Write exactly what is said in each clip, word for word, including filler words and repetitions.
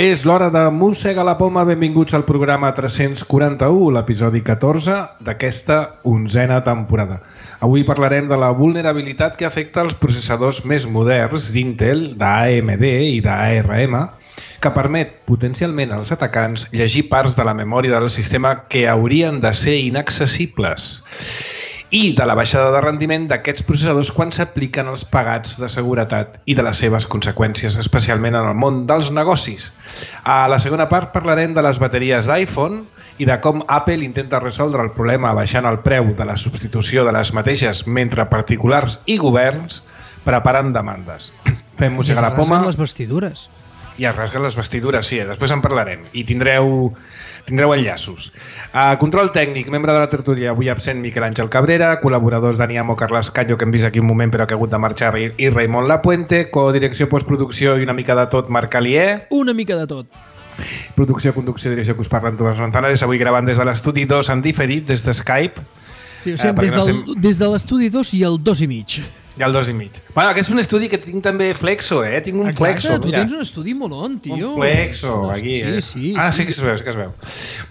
És l'hora de Mossega la Poma. Benvinguts al programa tres-cents quaranta-u, l'episodi catorze d'aquesta onzena temporada. Avui parlarem de la vulnerabilitat que afecta els processadors més moderns d'Intel, d'A M D i d'A R M, que permet potencialment als atacants llegir parts de la memòria del sistema que haurien de ser inaccessibles, i de la baixada de rendiment d'aquests processadors quan s'apliquen els pegats de seguretat i de les seves conseqüències, especialment en el món dels negocis. A la segona part parlarem de les bateries d'iPhone i de com Apple intenta resoldre el problema baixant el preu de la substitució de les mateixes mentre particulars i governs preparen demandes. Fem Mossega la Poma. I es rasguen les vestidures. I es rasguen les vestidures, sí, després en parlarem. I tindreu... tindreu enllaços. A control tècnic, membre de la tertúlia, avui absent Miquel Àngel Cabrera, col·laboradors Dani Amo, Carles Canyo, que hem vist aquí un moment però que ha hagut de marxar, i Raimon Lapuente, codirecció, postproducció i una mica de tot, Marc Alier. Una mica de tot. Producció, conducció, direcció, que us parlen Tomàs Manzanares, avui gravant des de l'estudi dos en diferit, des de Skype. Sí, o sigui, eh, des, del, estem... des de l'estudi dos i el dos i mig. I el dos i mig. Bueno, aquest és un estudi que tinc també flexo, eh? Tinc un Exacte, flexo, tu mira. Tens un estudi molon, tio. Un flexo, aquí, sí, eh? Sí, ah, sí, sí que es veu, sí que es veu.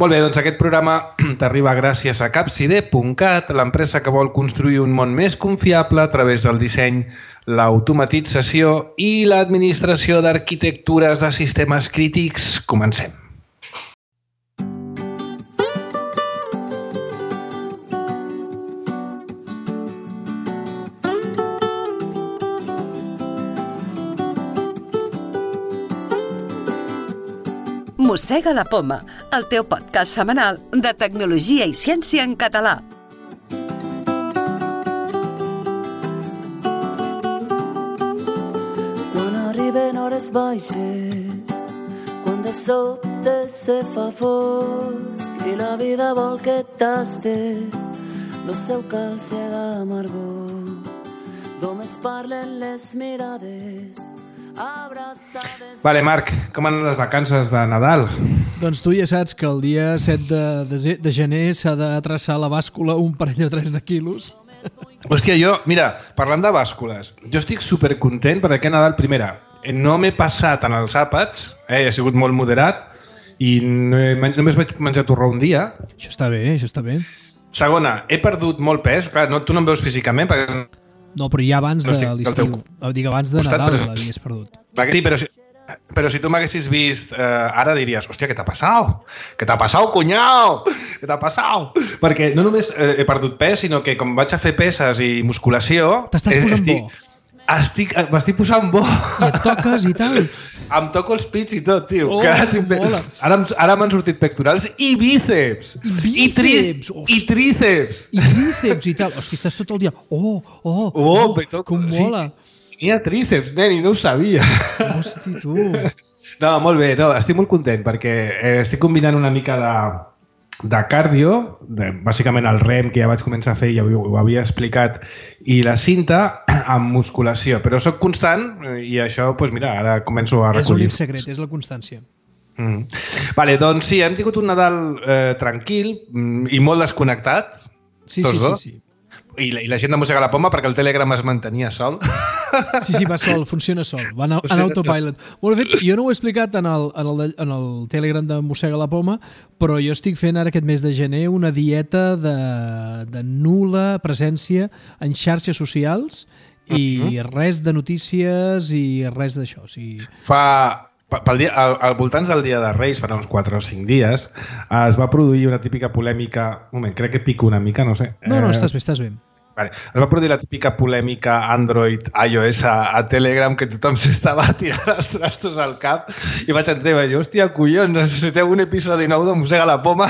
Molt bé, doncs aquest programa t'arriba gràcies a capcide punt cat, l'empresa que vol construir un món més confiable a través del disseny, l'automatització i l'administració d'arquitectures de sistemes crítics. Comencem. Mossega la Poma, el teu podcast setmanal de tecnologia i ciència en català. Quan arriben hores baixes, quan de sobte se fa fosc i la vida vol que tastes lo seu calce d'amargor, només parlen les mirades. Vale, Marc, com anen les vacances de Nadal? Doncs tu ja saps que el dia set de, de, de gener s'ha de traçar la bàscula un parell o tres de quilos. Hòstia, jo, mira, parlant de bàscules, jo estic supercontent perquè a Nadal, primera, no m'he passat en els àpats, eh, he sigut molt moderat i no he, només vaig menjar torró un dia. Això està bé, això està bé. Segona, he perdut molt pes, clar, no, tu no em veus físicament perquè... No, però ja abans de l'estiu. Dic, abans de Nadal però... l'havies perdut. Sí, però si, però si tu m'haguessis vist eh, ara diries, hòstia, què t'ha passat? Què t'ha passat, cunyau? Què t'ha passat? Perquè no només eh, he perdut pes, sinó que com vaig a fer peses i musculació... T'estàs posant estic, bo. Estic, m'estic posant bo. I et toques i tal. Em toco els pits i tot, tio. Oh, ara, ara, ara m'han sortit pectorals i bíceps. I bíceps. I, tri, i tríceps. I tríceps i tal. Hosti, estàs tot el dia... Oh, oh, oh, oh toco, com mola. Sí, tenia tríceps, nen, i no ho sabia. Hosti, tu. No, molt bé. No, estic molt content perquè eh, estic combinant una mica de... de cardio, de, bàsicament el rem que ja vaig començar a fer i ja ho, ho havia explicat, i la cinta amb musculació, però sóc constant i això, doncs mira, ara començo a recollir. És l'únic secret, és la constància. Mm. Vale, doncs sí, hem tingut un Nadal eh, tranquil i molt desconnectat, sí, tots sí, dos. sí, sí. I la, I la gent de Mossega la Poma perquè el Telegram es mantenia sol. Sí, sí, va sol, funciona sol, va en, en autopilot. Molt bé, jo no ho he explicat en el, en, el, en el Telegram de Mossega la Poma, però jo estic fent ara aquest mes de gener una dieta de, de nul·la presència en xarxes socials i uh-huh. res de notícies i res d'això. O sigui... Fa... Pel dia, al, al voltants del dia de Reis, farà uns quatre o cinc dies, es va produir una típica polèmica... Un moment, crec que pico una mica, no sé. No, no, estàs bé, estàs bé. Vale. Es va produir la típica polèmica Android, iOS a, a Telegram, que tothom s'estava tirant els trastos al cap i vaig entrar i vaig dir, hòstia, collons, necessiteu un episodi nou de Mossega la Poma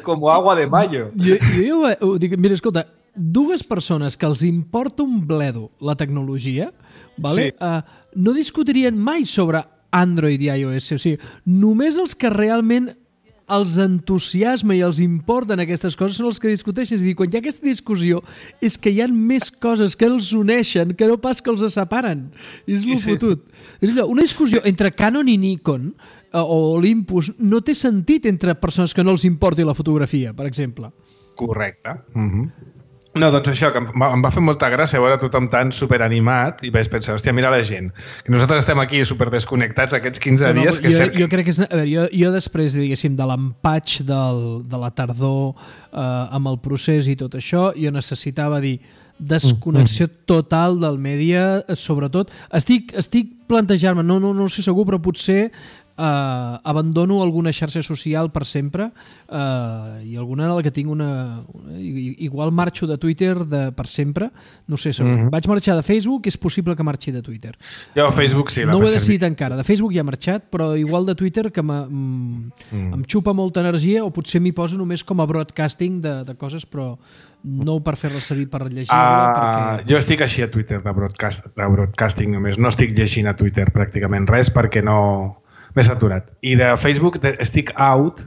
com agua de mayo. Jo, jo, jo dic, mira, escolta, dues persones que els importa un bledo la tecnologia, vale? Sí. Uh, no discutirien mai sobre Android i iOS, o sigui, només els que realment els entusiasma i els importen aquestes coses són els que discuteixen. És a dir, quan hi ha aquesta discussió és que hi ha més coses que els uneixen que no pas que els separen. És lo sí, fotut. Sí. És allò, una discussió entre Canon i Nikon o Olympus no té sentit entre persones que no els importi la fotografia, per exemple. Correcte. Mm-hmm. No, doncs això, que em va, em va fer molta gràcia veure tothom tan superanimat i vaig pensar, hòstia, mira la gent, que nosaltres estem aquí super desconnectats aquests quinze no, no, dies. Que jo, cert... jo crec que és... A veure, jo, jo després, diguéssim, de l'empatx del, de la tardor eh, amb el procés i tot això, jo necessitava dir desconnexió total del mèdia, sobretot. Estic, estic plantejant-me, no, no, no sé segur, però potser Uh, abandono alguna xarxa social per sempre uh, i alguna en la que tinc una, una... Igual marxo de Twitter de, per sempre, no sé segur. Mm-hmm. Vaig marxar de Facebook, és possible que marxi de Twitter. Jo a Facebook sí. No ho he decidit encara. De Facebook ja he marxat, però igual de Twitter que mm. em xupa molta energia, o potser m'hi poso només com a broadcasting de, de coses, però no per fer-la servir per llegir-la. Uh, perquè... Jo estic així a Twitter de, broadcast, de broadcasting només. No estic llegint a Twitter pràcticament res perquè no... m'he saturat. I de Facebook estic out,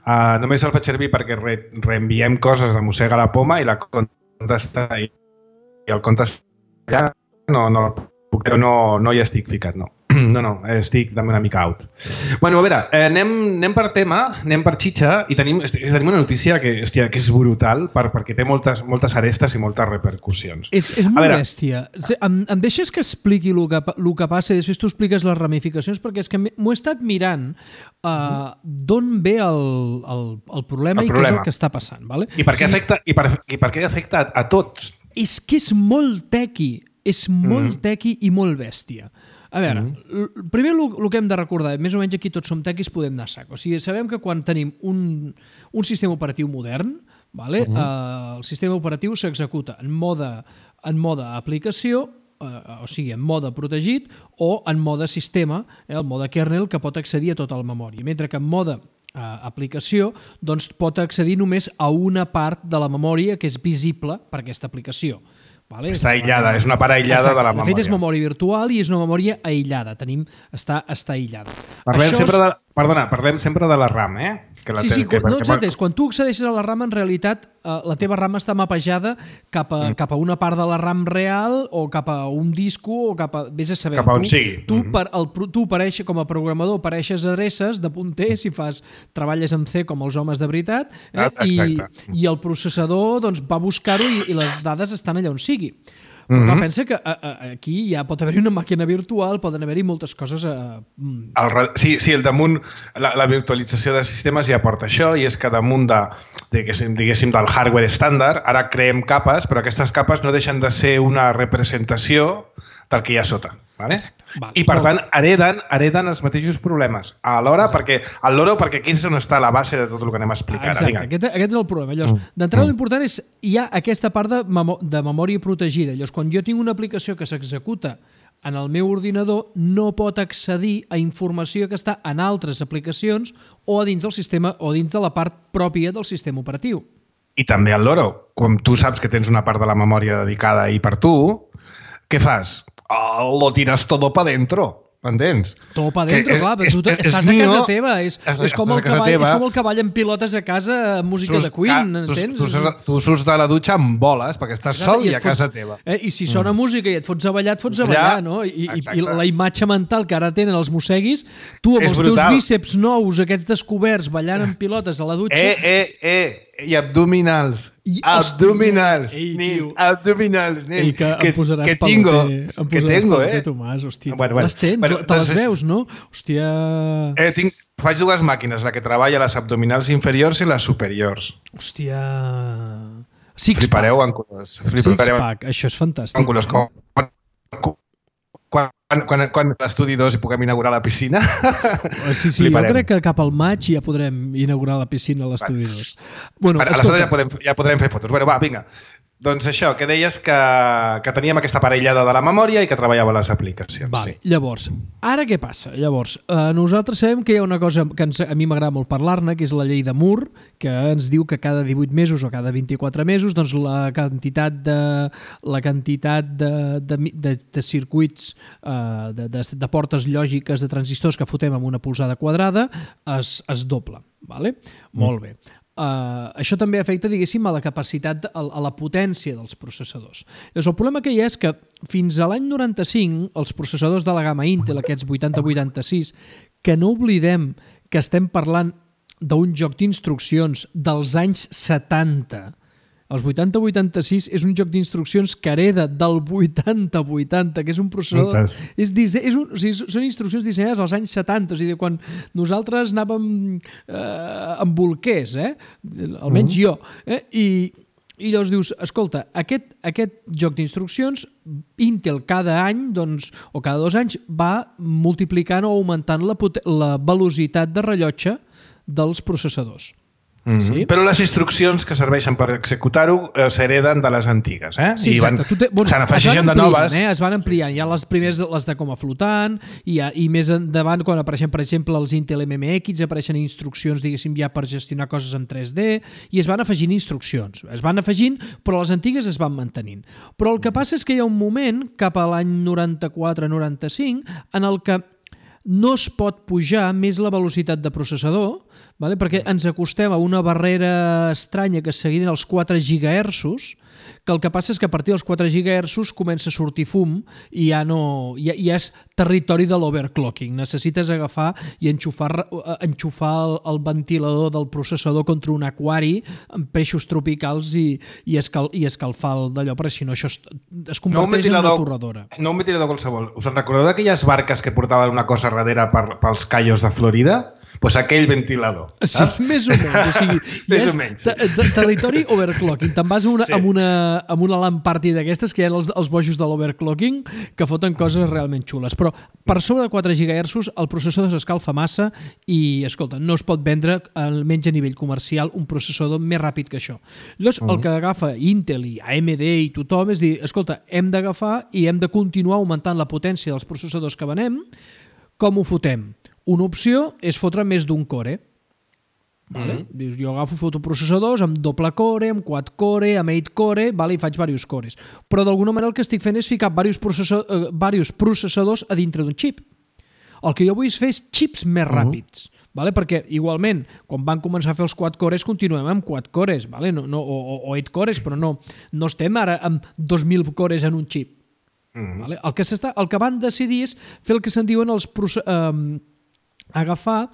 uh, només el faig servir perquè re, reenviem coses de Mossega la Poma i la compte està i el compte està allà, no, no, però no, no hi estic ficat, no. No, no, estic també una mica out. Bueno, a veure, eh, anem, anem per tema, anem per xitxa i tenim, tenim una notícia que, hòstia, que és brutal per, perquè té moltes, moltes arestes i moltes repercussions. És, és molt veure... bèstia. Em, em deixes que expliqui el que, el que passa i després tu expliques les ramificacions, perquè és que m'ho he estat mirant uh, d'on ve el, el, el problema el i problema. Què és el que està passant. Vale? I per què afecta, i per, i per què afecta a, a tots? És que és molt tequi, és molt mm. tequi i molt bèstia. A veure, mm-hmm. primer el que hem de recordar, més o menys aquí tots som tequis, podem anar a sac. O sigui, sabem que quan tenim un, un sistema operatiu modern, vale, mm-hmm. eh, el sistema operatiu s'executa en mode, en mode aplicació, eh, o sigui, en mode protegit, o en mode sistema, eh, el mode kernel, que pot accedir a tota la memòria. Mentre que en mode eh, aplicació doncs, pot accedir només a una part de la memòria que és visible per aquesta aplicació. Vale? Està aïllada, és una part aïllada Exacte. De la memòria. De fet, és memòria virtual i és una memòria aïllada. Tenim, està, està aïllada. Parlem Això sempre és... de, perdona, parlem sempre de la RAM, eh? Que la sí, sí, que, no, exacte. Quan tu accedeixes a la RAM, en realitat, eh, la teva RAM està mapejada cap a, mm. cap a una part de la RAM real o cap a un disco o cap a... Vés a saber. Cap a on tu, sigui. Tu, mm-hmm. per, el, tu apareix, com a programador, apareixes adreces de punter si fas, treballes amb C com els homes de veritat, eh? I, i el processador doncs, va buscar-ho i, i les dades estan allà on sigui. Però mm-hmm. pensa que a, a, aquí ja pot haver-hi una màquina virtual, poden haver-hi moltes coses... A... El, sí, sí, el damunt, la, la virtualització de sistemes ja porta això, i és que damunt de, diguéssim, diguéssim, del hardware estàndard, ara creem capes, però aquestes capes no deixen de ser una representació del que hi ha sota. Vale? Exacte. Vale. I, per tant, hereden, hereden els mateixos problemes. Alhora, perquè, al loro, perquè aquí és on està la base de tot el que anem a explicar. Exacte, aquest, aquest és el problema. Llavors, mm. d'entrada, mm. l'important és hi ha aquesta part de, memo de memòria protegida. Llavors, quan jo tinc una aplicació que s'executa en el meu ordinador, no pot accedir a informació que està en altres aplicacions o a dins del sistema o dins de la part pròpia del sistema operatiu. I també al loro. Com tu saps que tens una part de la memòria dedicada i per tu, què fas? Oh, lo tiras todo para dentro. M'entens? Todo para dentro, que, clar, però tu és, estàs és a casa teva. És, és, és, com el cavall, és com el cavall en pilotes a casa amb música Sus, de Queen, ah, entens? Tu, tu, tu surts de la dutxa amb boles, perquè estàs sol i, i a casa fots, teva. Eh, I si sona mm. música i et fots a ballar, et fots a ballar, ja, no? I, i, I la imatge mental que ara tenen els mosseguis, tu amb és els brutal. Teus bíceps nous, aquests descoberts, ballant en pilotes a la dutxa... Eh, eh, eh! I abdominals. I, abdominals. Ei, nin, abdominals. Nin. Ei, que, que em posaràs que tingo, em que tengo, eh? Tomàs, hòstia, bueno, bueno, les tens, bueno, te les veus, no? Hòstia... Eh, tinc, faig dues màquines, la que treballa les abdominals inferiors i les superiors. Hòstia... Six-pack. Flipareu en colors. Six-pack, això és fantàstic. En colors com... Quan, quan, quan l'estudi dos hi puguem inaugurar la piscina. Sí, sí, jo crec que cap al maig ja podrem inaugurar la piscina a l'estudi dos. Bueno, aleshores ja podem, ja podrem fer fotos. Bueno, va, vinga. Doncs això, que deies que, que teníem aquesta parellada de la memòria i que treballava les aplicacions. Vale. Sí. Llavors, ara què passa? Llavors, eh, nosaltres sabem que hi ha una cosa que ens, a mi m'agrada molt parlar-ne, que és la llei de Moore, que ens diu que cada divuit mesos o cada vint-i-quatre mesos doncs la quantitat de, la quantitat de, de, de, de circuits, eh, de, de, de portes lògiques de transistors que fotem amb una polzada quadrada es, es dobla. Vale? Mm. Molt bé. Uh, això també afecta, diguéssim, a la capacitat, a, a la potència dels processadors. Llavors, el problema que hi ha és que fins a l'any noranta-cinc, els processadors de la gamma Intel, aquests vuitanta vuitanta-sis, que no oblidem que estem parlant d'un joc d'instruccions dels anys setanta, Els vuitanta vuitanta-sis és un joc d'instruccions que hereda del vuitanta vuitanta, que és un processador... És, dise... és un... o sigui, són instruccions dissenyades als anys setanta, o sigui, quan nosaltres anàvem eh, amb bolquers, eh? Almenys mm-hmm. jo. Eh? I, I llavors dius, escolta, aquest, aquest joc d'instruccions, Intel cada any, doncs, o cada dos anys, va multiplicant o augmentant la, pot... la velocitat de rellotge dels processadors. Mm-hmm. Sí? Però les instruccions que serveixen per executar-ho eh, s'hereden de les antigues. Eh? Sí, exacte. I bueno, se n'afegeixen de noves. Eh? Es van ampliant. Sí, sí. Hi ha les primeres, les de com a flotant, i, ha, i més endavant, quan apareixen, per exemple, els Intel M M X, apareixen instruccions, diguéssim, ja per gestionar coses en tres D, i es van afegint instruccions. Es van afegint, però les antigues es van mantenint. Però el que passa és que hi ha un moment, cap a l'any noranta-quatre noranta-cinc, en el que no es pot pujar més la velocitat de processador, vale? Perquè ens acostem a una barrera estranya que seguirien els quatre gigahertzos, que el que passa és que a partir dels quatre gigahertzos comença a sortir fum i ja, no, ja, ja és territori de l'overclocking. Necessites agafar i enxufar, enxufar el, el ventilador del processador contra un aquari amb peixos tropicals i, i, escal, i escalfar d'allò, perquè si no això es, es converteix no en una torradora. No un ventilador qualsevol. Us en recordeu d'aquelles barques que portaven una cosa darrere per, pels callos de Florida? Doncs pues aquell ventilador, saps? Sí, més o menys. O sigui, més o menys. Ter territori overclocking. Te'n vas una, sí. amb, una, amb una LAN party d'aquestes que hi ha els, els bojos de l'overclocking que foten coses realment xules. Però per sobre de quatre gigahertzos el processador s'escalfa massa i, escolta, no es pot vendre, almenys a nivell comercial, un processador més ràpid que això. Llavors, uh -huh. el que agafa Intel i A M D i tothom és dir, escolta, hem d'agafar i hem de continuar augmentant la potència dels processadors que venem. Com ho fotem? Una opció és fotre més d'un core. Vale? Mm-hmm. Dius, jo agafo fotoprocessadors amb doble core, amb quad core, amb eight core, vale? I faig diversos cores. Però d'alguna manera el que estic fent és ficar diversos processadors, eh, diversos processadors a dintre d'un xip. El que jo vull fer és xips més ràpids. Mm-hmm. Vale? Perquè igualment, quan van començar a fer els quad cores, continuem amb quad cores, vale? no, no, o, o eight cores, però no, no estem ara amb dos mil cores en un xip. Mm-hmm. Vale? El, que el que van decidir és fer el que se'n diuen els processadors, eh, agafar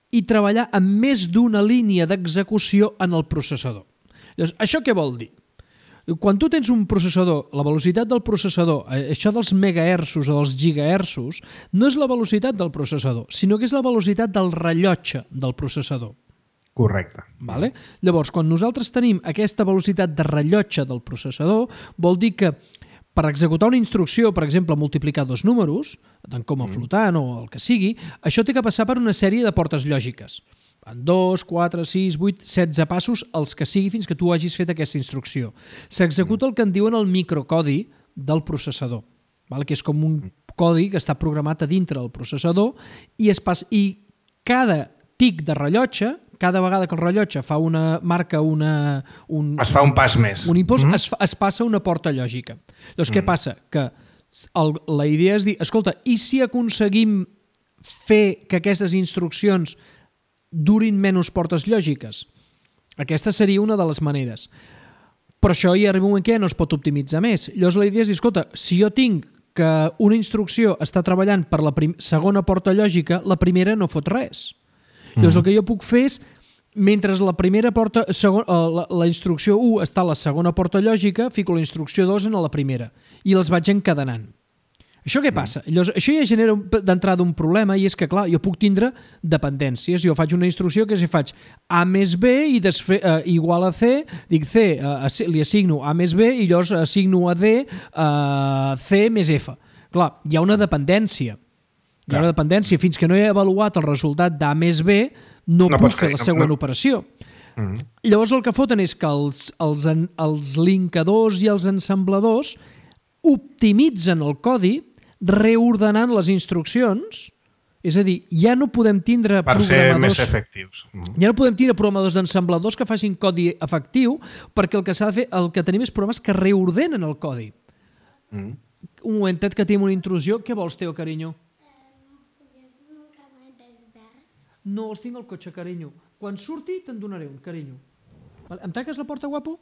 i treballar amb més d'una línia d'execució en el processador. Llavors, això què vol dir? Quan tu tens un processador, la velocitat del processador, això dels megahertzos o dels gigahertzos, no és la velocitat del processador, sinó que és la velocitat del rellotge del processador. Correcte. Vale? Llavors, quan nosaltres tenim aquesta velocitat de rellotge del processador, vol dir que per executar una instrucció, per exemple, multiplicar dos números, tant com a flotant o el que sigui, això té que passar per una sèrie de portes lògiques. En dos, quatre, sis, vuit, setze passos, els que sigui fins que tu hagis fet aquesta instrucció. S'executa el que en diuen el microcodi del processador, que és com un codi que està programat a dintre del processador i, es passa, i cada tic de rellotge, cada vegada que el rellotge fa una marca una... Un, es fa un pas més. Un impuls, mm-hmm. es, es passa una porta lògica. Llavors, mm. què passa? Que el, la idea és dir, escolta, i si aconseguim fer que aquestes instruccions durin menys portes lògiques? Aquesta seria una de les maneres. Però això hi arriba un moment que ja no es pot optimitzar més. Llavors, la idea és dir, escolta, si jo tinc que una instrucció està treballant per la segona porta lògica, la primera no fot res. Llavors, el que jo puc fer és, mentre la primera porta, segon, la, la instrucció u està a la segona porta lògica, fico la instrucció dos en la primera i les vaig encadenant. Això què passa? Llavors, això ja genera d'entrada un problema i és que, clar, jo puc tindre dependències. Jo faig una instrucció que si faig A més B i desfe, eh, igual a C, dic C, eh, li assigno A més B i llavors assigno a D eh, C més F. Clar, hi ha una dependència. Hi ha una dependència. Fins que no he avaluat el resultat d'A més B, no, no puc fer la següent no. operació. Mm. Llavors el que foten és que els, els, els linkadors i els ensambladors optimitzen el codi reordenant les instruccions, és a dir, ja no podem tindre per programadors... ser més efectius. Mm. Ja no podem tindre programadors d'ensambladors que facin codi efectiu, perquè el que s'ha de fer, el que tenim és programes que reordenen el codi. Mm. Un momentet que tenim una intrusió. Què vols, Teo, carinyo? No, els tinc al cotxe, carinyo. Quan surti te'n donaré un, carinyo. Em tanques la porta, guapo?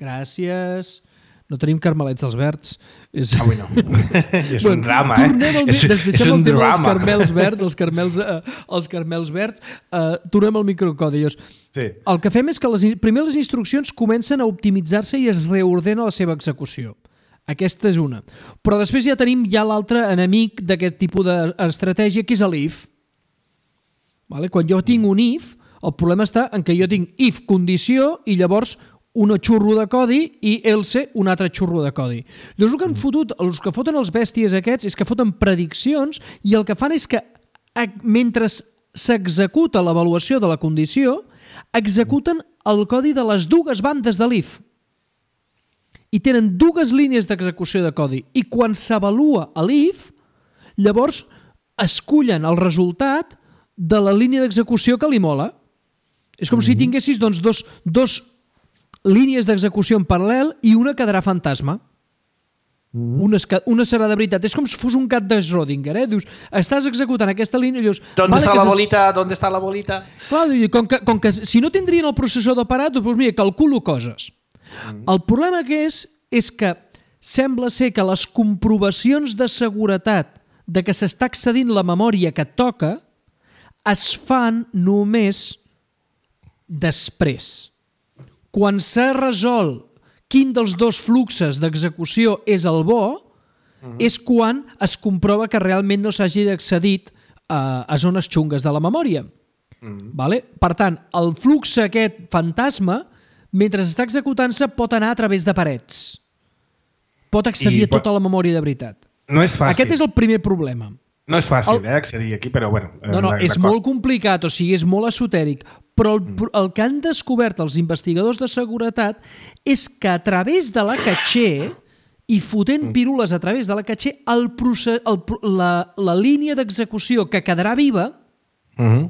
Gràcies. No tenim carmelets dels verds. És... Avui no. És bueno, un drama, eh? Tornem al... És, Des és un tema drama. Els carmels verds, els carmels, eh, els carmels verds, eh, tornem al microcodi. Sí. El que fem és que les, primer les instruccions comencen a optimitzar-se i es reordena la seva execució. Aquesta és una. Però després ja tenim ja l'altre enemic d'aquest tipus d'estratègia, que és l'if. Vale? Quan jo tinc un if, el problema està en què jo tinc if condició i llavors un xurro de codi i else un altre xurro de codi. Llavors el que han fotut, els que foten els bèsties aquests és que foten prediccions i el que fan és que mentre s'executa l'avaluació de la condició, executen el codi de les dues bandes de l'if. I tenen dues línies d'execució de codi. I quan s'avalua l'if, llavors escullen el resultat de la línia d'execució que li mola. És com mm-hmm. si tinguessis doncs, dos, dos línies d'execució en paral·lel i una quedarà fantasma. Mm-hmm. Una, una serà de veritat. És com si fos un gat de Schrödinger. Eh? Dius, estàs executant aquesta línia i dius... ¿Dónde vale, está la se... bolita? ¿Dónde está la bolita? Clar, com que, com que si no tindrien el processador parat, doncs mira, calculo coses. Mm-hmm. El problema que és, és que sembla ser que les comprovacions de seguretat de que s'està accedint la memòria que toca es fan només després. Quan s'ha resolt quin dels dos fluxes d'execució és el bo, uh-huh. és quan es comprova que realment no s'hagi d'accedit a, a zones xungues de la memòria. Uh-huh. Vale? Per tant, el flux aquest fantasma, mentre està executant-se, pot anar a través de parets. Pot accedir I a tota pot... la memòria de veritat. No és fàcil. Aquest és el primer problema. No és fàcil, el... eh, accedir aquí, però bueno... No, no, és molt complicat, o sigui, és molt esotèric, però el, el que han descobert els investigadors de seguretat és que a través de la caché i fotent pirules a través de la caché, el procés, el, la, la línia d'execució que quedarà viva uh-huh.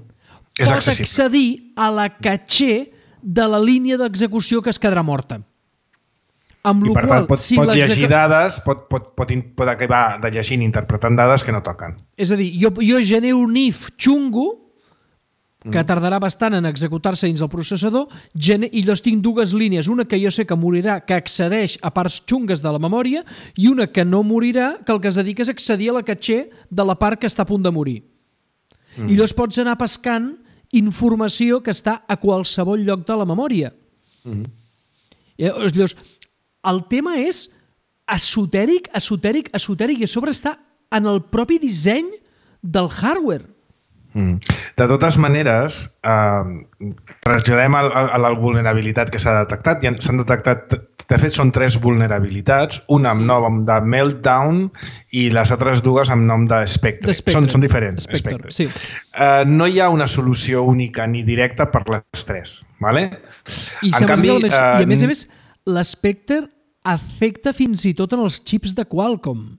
pot accedir a la caché de la línia d'execució que es quedarà morta. Amb I per qual, tant, pot, si pot llegir dades, pot, pot, pot, pot acabar de llegint i interpretant dades que no toquen. És a dir, jo, jo genero un if xungo que tardarà bastant en executar-se dins el processador, i llavors tinc dues línies, una que jo sé que morirà, que accedeix a parts xungues de la memòria, i una que no morirà, que el que es dedica és accedir a la caché de la part que està a punt de morir. Mm. I llavors pots anar pescant informació que està a qualsevol lloc de la memòria. Mm. I llavors, el tema és esotèric, esotèric, esotèric, i a sobre està en el propi disseny del hardware. Mm. De totes maneres, eh, traslladem a, a la vulnerabilitat que s'ha detectat. S'han detectat, de fet, són tres vulnerabilitats, una amb nom de Meltdown i les altres dues amb nom de Spectre. Spectre. Són, són diferents. Spectre, sí. eh, no hi ha una solució única ni directa per les tres. Vale? I, en canvi, més, eh, I a més a més, l'Spectre afecta fins i tot en els xips de Qualcomm,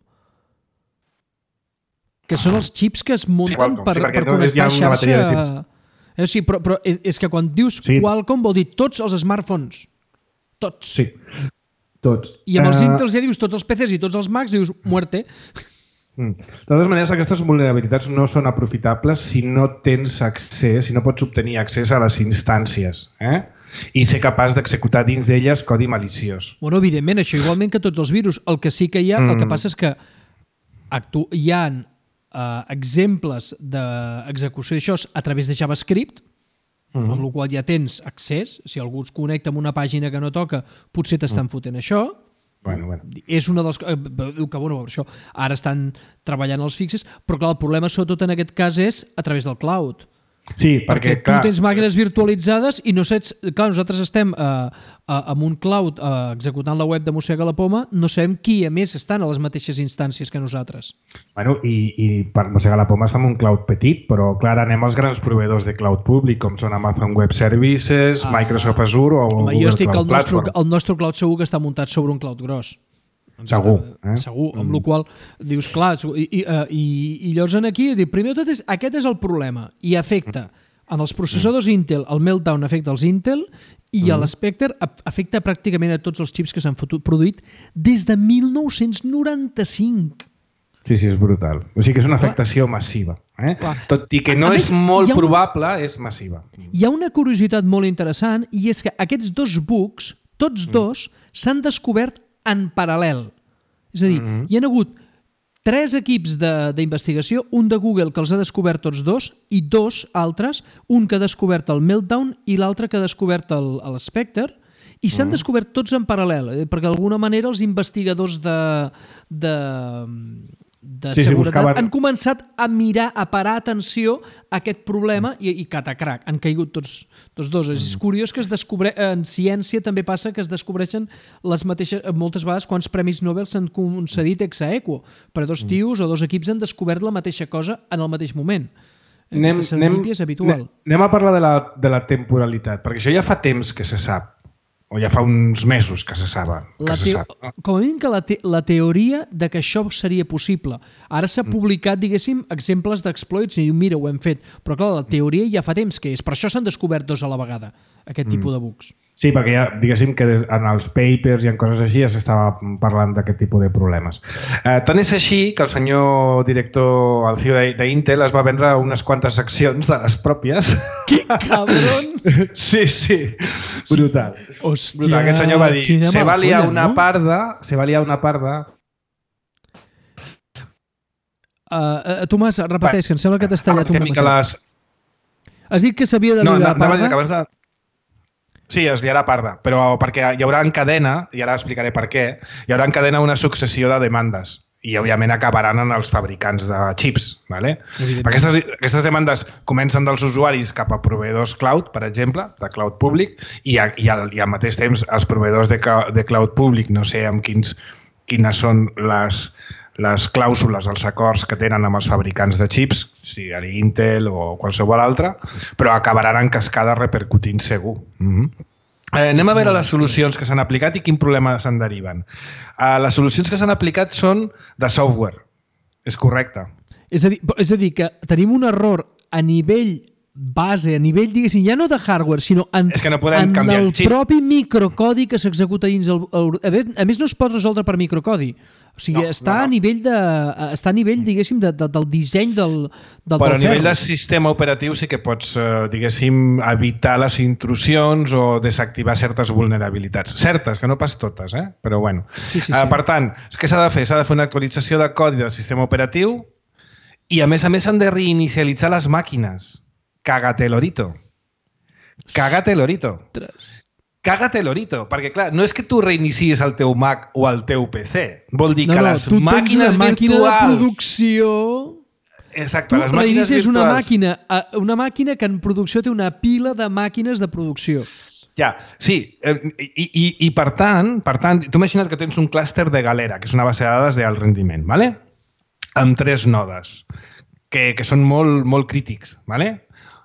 que són els xips que es munten sí, Qualcomm, per, sí, per connectar xarxa. Eh, sí, però, però és que quan dius sí. Qualcomm vol dir tots els smartphones. Tots. Sí, tots. I amb els uh... Intels ja dius tots els P Cs i tots els Macs, dius muerte. Mm. De totes maneres, aquestes vulnerabilitats no són aprofitables si no tens accés, si no pots obtenir accés a les instàncies, eh? I ser capaç d'executar dins d'elles codi maliciós. Bueno, evidentment, això igualment que tots els virus. El que sí que hi ha, mm. el que passa és que actu hi ha Uh, exemples d'execució d'això a través de JavaScript, uh-huh. amb la qual ja tens accés. Si algú es connecta amb una pàgina que no toca, potser t'estan uh-huh. fotent això. Bueno, bueno. És una dels... Diu que, bueno, això, ara estan treballant els fixes, però clar, el problema sobretot en aquest cas és a través del cloud. Sí, perquè, perquè tu clar... tens màquines virtualitzades i no saps... Clar, nosaltres estem eh, amb un cloud eh, executant la web de Mossega la Poma, no sabem qui, a més, estan a les mateixes instàncies que nosaltres. Bueno, i, i per Mossega la Poma està en un cloud petit, però clar, anem als grans proveïdors de cloud públic, com són Amazon Web Services, ah, Microsoft Azure o home, Google jo estic Cloud el nostre, Platform. El nostre cloud segur que està muntat sobre un cloud gros. Segur. Està, eh? Segur, amb mm. la qual dius, clar, i, i, i, i llavors aquí, primer de tot, és, aquest és el problema, i afecta en els processadors mm. Intel, el Meltdown afecta els Intel, i mm. l'Spectre afecta pràcticament a tots els xips que s'han produït des de mil nou-cents noranta-cinc. Sí, sí, és brutal. O sigui que és una afectació clar. massiva. Eh? Tot i que no a és més, molt una... probable, és massiva. Hi ha una curiositat molt interessant, i és que aquests dos bugs, tots dos, mm. s'han descobert en paral·lel. És a dir, mm-hmm. hi ha hagut tres equips d'investigació, un de Google que els ha descobert tots dos i dos altres, un que ha descobert el Meltdown i l'altre que ha descobert el, el Spectre, i s'han mm. descobert tots en paral·lel, eh? perquè d'alguna manera els investigadors de, de, de sí, seguretat sí, buscaven... han començat a mirar, a parar atenció a aquest problema mm. i, i catacrac, han caigut tots, tots dos. Mm. És curiós que es descobre... en ciència també passa que es descobreixen les mateixes... moltes vegades quants premis Nobel s'han concedit ex aequo, però dos tios o dos equips han descobert la mateixa cosa en el mateix moment. Anem, anem, és habitual. Anem a parlar de la, de la temporalitat, perquè això ja fa temps que se sap. O ja fa uns mesos que se sap. Que se sap no? Com a mínim que la, te la teoria de que això seria possible. Ara s'ha publicat, diguéssim, exemples d'exploits i diu, mira, ho hem fet. Però clar, la teoria ja fa temps que és. Per això s'han descobert dos a la vegada, aquest tipus de bugs. Sí, perquè ja, diguéssim que en els papers i en coses així ja s'estava parlant d'aquest tipus de problemes. Eh, tant és així que el senyor director, el C E O d'Intel, es va vendre unes quantes accions de les pròpies. Que cabron! Sí, sí, brutal. Hòstia, brutal. Aquest senyor va dir, se va liar una no? parda, se va liar una parda... Uh, uh, Tomàs, repeteix, que em sembla que t'has tallat una mica. Les... Has dit que s'havia de liar no, la parda? No, de... Sí, es liarà parda, però perquè hi haurà en cadena, i ara explicaré per què, hi haurà en cadena una successió de demandes i, òbviament, acabaran en els fabricants de xips. ¿vale? Aquestes, aquestes demandes comencen dels usuaris cap a proveïdors cloud, per exemple, de cloud públic, i, a, i, al, i al mateix temps els proveïdors de, de cloud públic, no sé amb quins, quines són les... les clàusules, els acords que tenen amb els fabricants de xips, sigui Intel o qualsevol altre, però acabaran en cascada repercutint segur. Mm-hmm. eh, anem a veure les solucions que s'han aplicat i quin problema se'n deriven. Eh, les solucions que s'han aplicat són de software. És correcte. És a dir, és a dir que tenim un error a nivell base, a nivell, diguéssim, ja no de hardware, sinó en, és que no podem en canviar el, el xip. propi microcodi que s'executa dins el, el... A més, no es pot resoldre per microcodi. O sigui, no, està, no, no. A nivell de, està a nivell, diguéssim, de, de, del disseny del, del Però del a nivell ferro. de sistema operatiu sí que pots, eh, diguéssim, evitar les intrusions o desactivar certes vulnerabilitats. Certes, que no pas totes, eh? Però bueno. Sí, sí, sí. Eh, per tant, què s'ha de fer? S'ha de fer una actualització de codi del sistema operatiu i, a més a més, s'han de reinicialitzar les màquines. Cágate lorito. Cágate lorito. Cágate lorito, perquè clar, no és que tu reinicies el teu Mac o el teu P C. Vol dir no, que no, les màquines màquina virtuals... de producció... Exacte, tu les màquines virtuals... una màquina, una màquina que en producció té una pila de màquines de producció. Ja, sí, i, i, i per tant, per tant, tu imagina't que tens un clúster de Galera, que és una base de dades d'alt rendiment, ¿vale? Amb tres nodes, que, que són molt, molt crítics, ¿vale?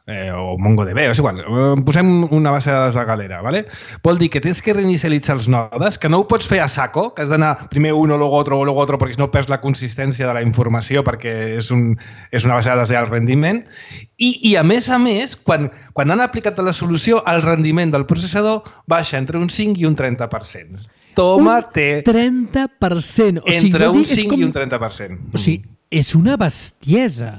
Eh, o MongoDB, és igual, posem una base de dades de Galera, ¿vale? Vol dir que tens que reinicialitzar els nodes, que no ho pots fer a saco, que has d'anar primer uno, luego otro, luego otro, perquè si no perds la consistència de la informació perquè és, un, és una base de dades d'alt rendiment. I, I a més a més, quan, quan han aplicat la solució, el rendiment del processador baixa entre un cinc i un trenta per cent. Toma, té... Un trenta per cent. O sigui, entre un dir, cinc com... i un trenta per cent. O sigui, és una bestiesa.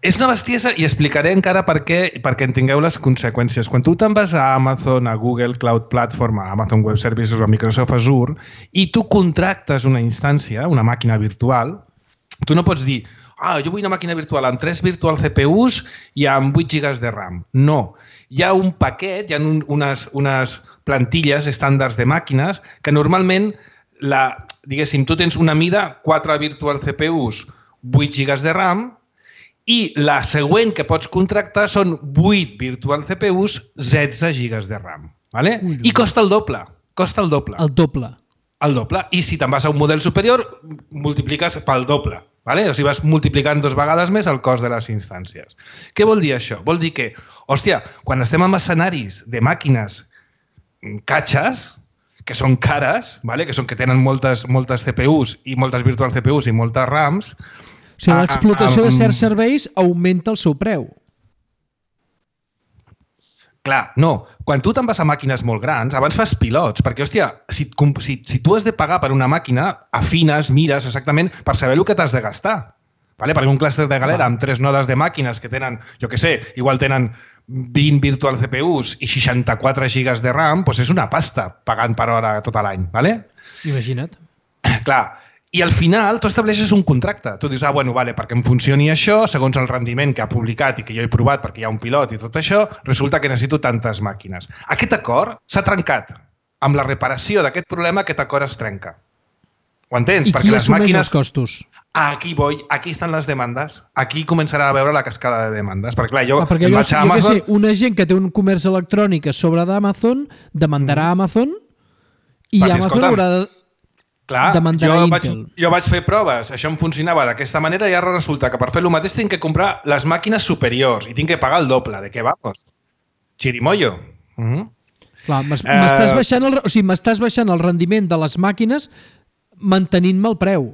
És una bestiesa i explicaré encara per què, perquè en tingueu les conseqüències. Quan tu te'n vas a Amazon, a Google Cloud Platform, a Amazon Web Services o a Microsoft Azure i tu contractes una instància, una màquina virtual, tu no pots dir ah, jo vull una màquina virtual amb tres virtual C P Us i amb vuit gigas de RAM. No. Hi ha un paquet, hi ha un, unes, unes plantilles estàndards de màquines que normalment, la, diguéssim, tu tens una mida, quatre virtual C P Us, vuit gigas de RAM, i la següent que pots contractar són vuit virtual C P Us, setze gigas de RAM. ¿Vale? Ui, I costa el doble. Costa el doble. El doble. El doble. I si te'n vas a un model superior, multipliques pel doble. ¿Vale? O sigui, vas multiplicant dos vegades més el cost de les instàncies. Què vol dir això? Vol dir que, hòstia, quan estem en escenaris de màquines catxes, que són cares, ¿vale? que, són, que tenen moltes, moltes C P Us i moltes virtual C P Us i moltes RAMs, o sigui, l'explotació de certs serveis augmenta el seu preu. Clar, no. Quan tu te'n vas a màquines molt grans, abans fas pilots, perquè, hòstia, si, si, si tu has de pagar per una màquina, afines, mires exactament per saber el que t'has de gastar. Vale? Perquè un clúster de galera amb tres nodes de màquines que tenen, jo què sé, igual tenen vint virtual C P Us i seixanta-quatre gigas de RAM, doncs és una pasta pagant per hora tot l'any. Vale? Imagina't. Clar, i al final tu estableixes un contracte. Tu dius, ah, bueno, vale, perquè em funcioni això, segons el rendiment que ha publicat i que jo he provat perquè hi ha un pilot i tot això, resulta que necessito tantes màquines. Aquest acord s'ha trencat. Amb la reparació d'aquest problema, aquest acord es trenca. Ho entens? I qui assumeix màquines... els costos? Aquí voy, aquí estan les demandes. Aquí començarà a veure la cascada de demandes. Perquè, clar, jo... Ah, perquè jo, jo Amazon... que sé, una gent que té un comerç electrònic a sobre d'Amazon demandarà mm. Amazon i perquè, Amazon haurà de... Clar, demandarà jo Intel. vaig, jo vaig fer proves, això em funcionava d'aquesta manera i ara resulta que per fer el mateix tinc que comprar les màquines superiors i tinc que pagar el doble. De què vamos? Chirimoyo. Uh -huh. Clar, m'estàs uh... baixant, el, o sigui, m'estàs baixant el rendiment de les màquines mantenint-me el preu.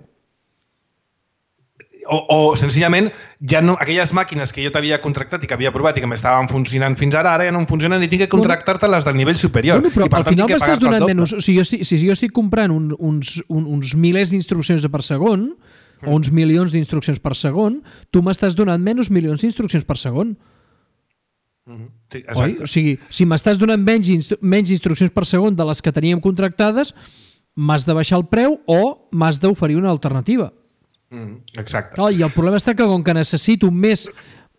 O, o senzillament, ja no, aquelles màquines que jo t'havia contractat i que havia provat i que m'estaven funcionant fins ara, ara ja no em funcionen i tinc que contractar-te-les del nivell superior. Bueno, però I per al tant, final m'estàs donant menys... O sigui, jo, si, si jo estic comprant un, uns, un, uns milers d'instruccions per segon, mm. o uns milions d'instruccions per segon, tu m'estàs donant menys milions d'instruccions per segon. Mm-hmm. Sí, oi? O sigui, si m'estàs donant menys, instru menys instruccions per segon de les que teníem contractades, m'has de baixar el preu o m'has d'oferir una alternativa. Mm, exacte. Clar, i el problema està que com que necessito més,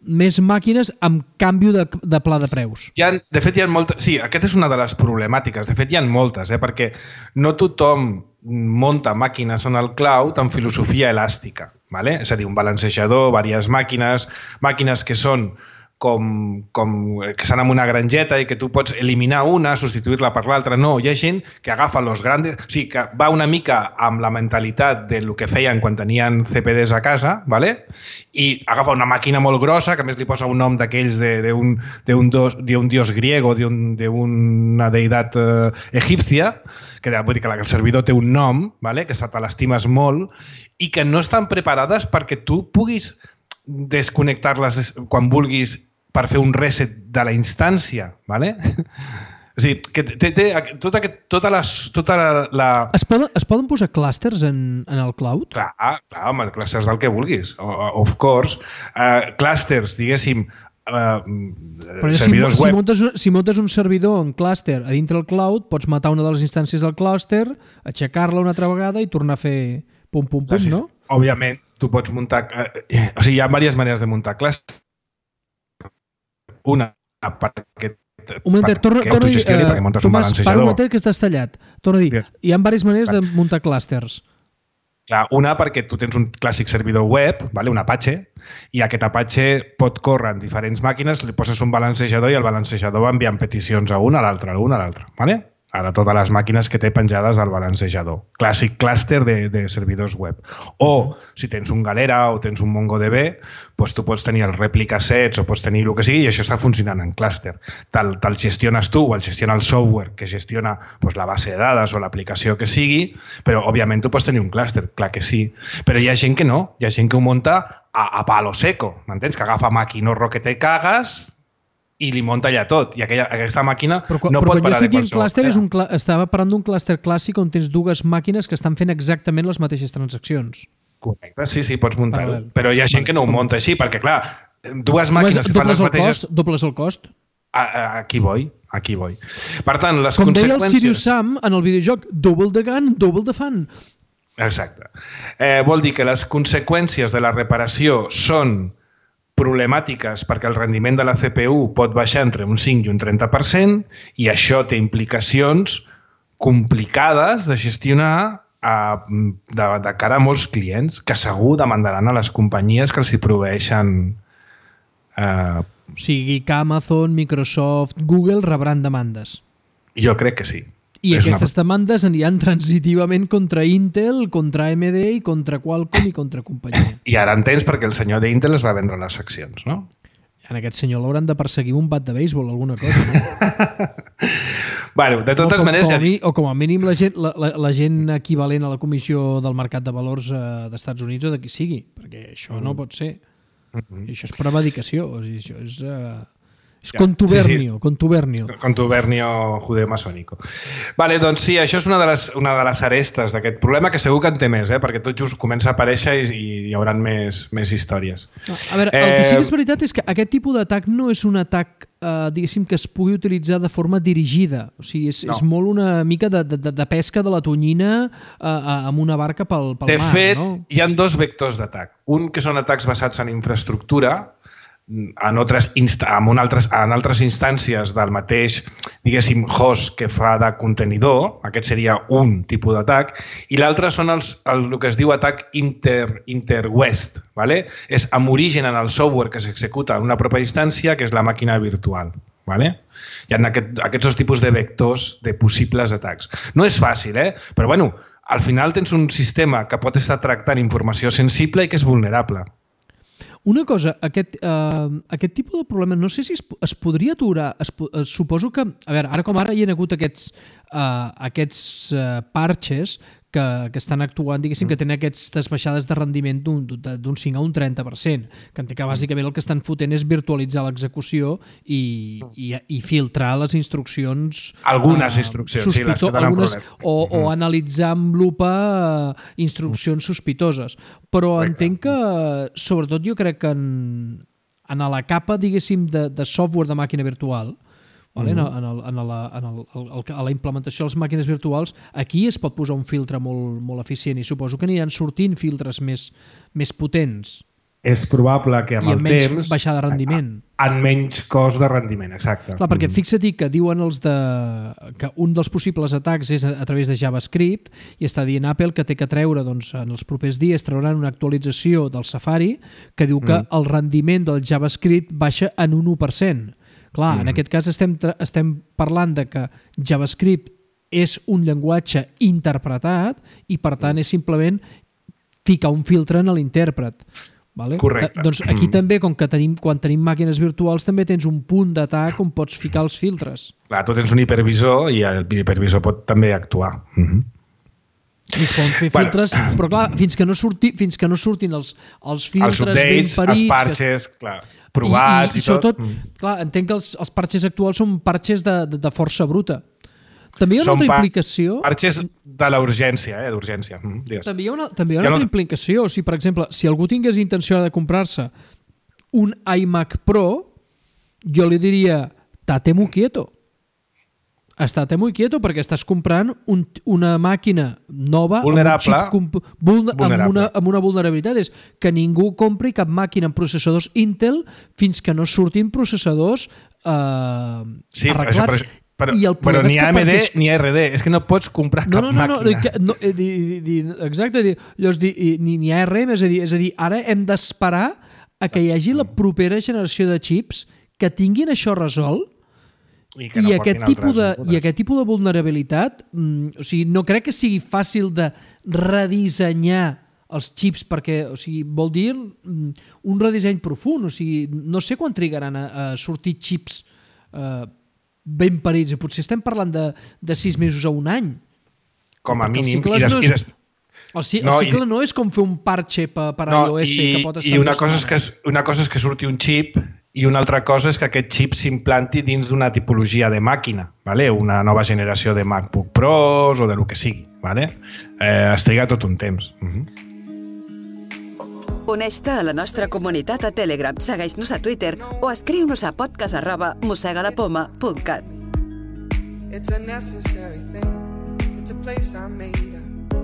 més màquines amb canvi de, de pla de preus. Hi ha, de fet, hi ha moltes... Sí, aquesta és una de les problemàtiques. De fet, hi ha moltes, eh? Perquè no tothom munta màquines en el cloud amb filosofia elàstica. ¿Vale? És a dir, un balancejador, diverses màquines, màquines que són com, com que estan en una grangeta i que tu pots eliminar una, substituir-la per l'altra. No, hi ha gent que agafa los grandes... O sigui, que va una mica amb la mentalitat del que feien quan tenien C P Ds a casa, ¿vale? I agafa una màquina molt grossa, que a més li posa un nom d'aquells d'un un dios griego, d'una deïtat eh, egípcia, que vull dir que el servidor té un nom, ¿vale? Que te l'estimes molt, i que no estan preparades perquè tu puguis desconnectar-les quan vulguis per fer un reset de la instància, ¿vale? O sigui, que té, té tota, tota, la, tota la... la... Es, poden, es poden posar clústers en, en el cloud? Clar, clar, home, clústers del que vulguis, of course. Uh, clústers, diguéssim, uh, servidors si, web... Si muntes, si muntes un servidor en clúster a dintre el cloud, pots matar una de les instàncies del clúster, aixecar-la una altra vegada i tornar a fer pum, pum, pum, no? Òbviament, tu pots muntar... Eh, o sigui, hi ha diverses maneres de muntar clústers. Una, perquè... Un moment, torna, torna a dir, uh, Tomàs, para un moment que estàs tallat. Torna a dir, yes. Hi ha diverses maneres de muntar clústers. Clar, una perquè tu tens un clàssic servidor web, vale? Un Apache, i aquest Apache pot córrer en diferents màquines, li poses un balancejador i el balancejador va enviant peticions a una, a l'altra, a una, a l'altra. Vale? A totes les màquines que té penjades al balancejador. Clàssic clúster de, de servidors web. O, si tens un Galera o tens un MongoDB, doncs tu pots tenir el replica sets o pots tenir el que sigui i això està funcionant en clúster. Te'l te gestiones tu o el gestiona el software que gestiona doncs, la base de dades o l'aplicació que sigui, però, òbviament, tu pots tenir un clúster, clar que sí. Però hi ha gent que no. Hi ha gent que ho munta a, a palo seco, m'entens? Que agafa maquinorro que te cagues i li munta allà tot. I aquella, aquesta màquina però, no però pot parar de qualsevol. Clúster és un cl... Estava parlant d'un clúster clàssic on tens dues màquines que estan fent exactament les mateixes transaccions. Correcte, sí, sí, pots muntar-ho. Però hi ha gent que no ho munta així, perquè, clar, dues màquines que fan les mateixes... Cost, dobles el cost? A, a, aquí vull, aquí vull. Per tant, les com conseqüències... Com deia el Sirius Sam en el videojoc, double the gun, double the fun. Exacte. Eh, vol dir que les conseqüències de la reparació són problemàtiques perquè el rendiment de la C P U pot baixar entre un cinc i un trenta per cent i això té implicacions complicades de gestionar a, de, de cara a molts clients que segur demandaran a les companyies que els hi proveeixen. Eh... O sigui que Amazon, Microsoft, Google rebran demandes. Jo crec que sí. I és aquestes una... demandes aniran transitivament contra Intel, contra A M D i contra Qualcomm i contra companyia. I ara entens perquè el senyor d'Intel es va vendre les accions, no? En aquest senyor l'hauran de perseguir un bat de béisbol o alguna cosa, no? Bueno, de totes o com, maneres... Com ja dic... O com a mínim la gent, la, la, la gent equivalent a la Comissió del Mercat de Valors eh, d'Estats Units o de qui sigui, perquè això mm. no pot ser. Mm -hmm. I això és prevaricació, o sigui, això és... Eh... És contubernio, sí, sí. contubernio. Contubernio judeo-masònico. Vale, doncs sí, això és una de les, una de les arestes d'aquest problema, que segur que en té més, eh? Perquè tot just comença a aparèixer i, i hi haurà més, més històries. A veure, el que sí que és veritat és que aquest tipus d'atac no és un atac, eh, diguéssim, que es pugui utilitzar de forma dirigida. O sigui, és, no. és molt una mica de, de, de pesca de la tonyina eh, amb una barca pel, pel de mar, fet, no? Hi ha dos vectors d'atac. Un que són atacs basats en infraestructura, en altres, insta en, altres, en altres instàncies del mateix, diguéssim, host que fa de contenidor. Aquest seria un tipus d'atac. I l'altre són els, el, el que es diu atac inter, interwest. ¿Vale? És amb origen en el software que s'executa en una pròpia instància, que és la màquina virtual. ¿Vale? Hi ha aquest, aquests dos tipus de vectors de possibles atacs. No és fàcil, eh? Però bueno, al final tens un sistema que pot estar tractant informació sensible i que és vulnerable. Una cosa, aquest, eh, aquest tipus de problema, no sé si es, es podria aturar, es, es, suposo que, a veure, ara com ara hi ha hagut aquests, eh, aquests eh, parches que, que estan actuant, diguéssim, que tenen aquestes baixades de rendiment d'un cinc a un trenta per cent, que entenc que bàsicament el que estan fotent és virtualitzar l'execució i, i, i filtrar les instruccions... Algunes uh, instruccions, sí, les que tenen algunes, o, o analitzar amb lupa uh, instruccions sospitoses. Però Correcte. Entenc que, sobretot jo crec que en, en la capa, diguéssim, de, de software de màquina virtual, vale? Mm-hmm. en, el, en, la, en el, el, a la implementació de les màquines virtuals, aquí es pot posar un filtre molt, molt eficient i suposo que aniran sortint filtres més, més potents. És probable que amb, I amb el menys temps... baixar de rendiment. En menys cost de rendiment, exacte. Clar, perquè fixa-t'hi que diuen els de... que un dels possibles atacs és a, a través de JavaScript i està dient Apple que té que treure, doncs, en els propers dies trauran una actualització del Safari que diu que mm. el rendiment del JavaScript baixa en un u per cent. Clar, mm. en aquest cas estem, estem parlant de que JavaScript és un llenguatge interpretat i, per tant, és simplement ficar un filtre en l'intèrpret. Vale? Correcte. Doncs aquí mm. també, com que tenim, quan tenim màquines virtuals, també tens un punt d'atac on pots ficar els filtres. Clar, tu tens un hipervisor i el hipervisor pot també actuar. Mm-hmm. I es poden fer filtres, bueno. Però clar, fins que no, surti, fins que no surtin els, els filtres els updates, ben parits... Els parches, que... clar, provats i, i, i, i sobretot, tot. Mm. Clar, entenc que els, els parches actuals són parches de, de, de força bruta. També hi ha una són altra implicació... parches de la urgència, eh, d'urgència. Mm, també hi ha una, també hi ha una altra no... implicació. O sigui, per exemple, si algú tingués intenció de comprar-se un iMac Pro, jo li diria, tate muy quieto. Estate muy quieto perquè estàs comprant un, una màquina nova vulnerable, amb, un xip vulner, vulnerable. Amb, una, amb una vulnerabilitat. És que ningú compri cap màquina amb processadors Intel fins que no surtin processadors eh, sí, arreglats. Això, però, I el però ni A M D perquè... ni A R D. És que no pots comprar no, cap no, no, màquina. No, no, di, di, di, exacte. Di, llavors, di, ni, ni A R M, és a dir, és a dir, ara hem d'esperar a que hi hagi la propera generació de xips que tinguin això resolt. I, I, no aquest tipus de, I aquest tipus de vulnerabilitat, mm, o sigui, no crec que sigui fàcil de redissenyar els xips perquè, o sigui, vol dir mm, un redisseny profund, o sigui, no sé quan trigaran a, a sortir xips eh, ben parits, potser estem parlant de, de sis mesos a un any. Com a mínim. I des, no és, i des... El, el no, cicle i... no és com fer un parche per, per no, iOS i, que pot estar... I una cosa, és que, una cosa és que surti un xip i una altra cosa és que aquest xip s'implanti dins d'una tipologia de màquina, ¿vale? Una nova generació de MacBook Pros o de lo que sigui. ¿Vale? Eh, es triga tot un temps. Uh-huh. Uneix-te a la nostra comunitat a Telegram, segueix-nos a Twitter o escriu-nos a podcast arroba mossegadapoma punt cat. It's a necessary thing. It's a place I made up.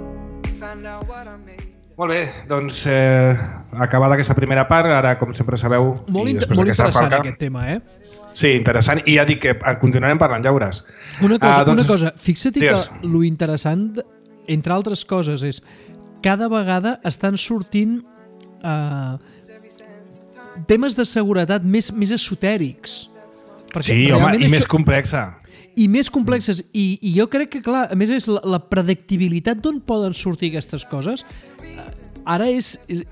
Find out what I made. Molt bé, doncs eh, acabada aquesta primera part, ara com sempre sabeu... Molt, inter molt interessant falca, aquest tema, eh? Sí, interessant, i ja dic que continuarem parlant, ja veuràs. Una cosa, uh, doncs, una cosa fixa't que lo interessant, entre altres coses, és cada vegada estan sortint uh, temes de seguretat més, més esotèrics. Sí, home, i això... més complexa. I més complexes. I, I jo crec que, clar, a més és la, la predictibilitat d'on poden sortir aquestes coses ara és, és,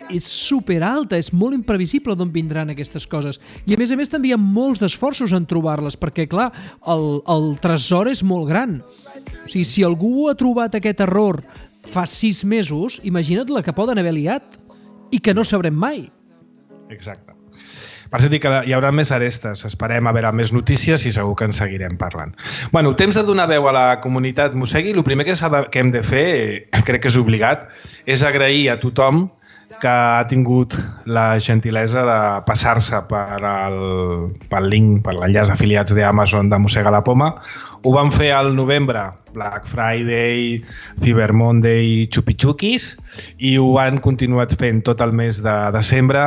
és superalta, és molt imprevisible d'on vindran aquestes coses. I a més a més també hi ha molts d'esforços en trobar-les, perquè, clar, el, el tresor és molt gran. O sigui, si algú ha trobat aquest error fa sis mesos, imagina't la que poden haver liat i que no sabrem mai. Exacte. Per això dic que hi haurà més arestes. Esperem a veure més notícies i segur que en seguirem parlant. Bueno, temps de donar veu a la comunitat Mossegui. El primer que, de, que hem de fer, crec que és obligat, és agrair a tothom que ha tingut la gentilesa de passar-se per el, pel link, per l'enllaç d'afiliats d'Amazon de Mossega la Poma. Ho van fer al novembre, Black Friday, Cyber Monday, xupi-xuquis, i ho han continuat fent tot el mes de desembre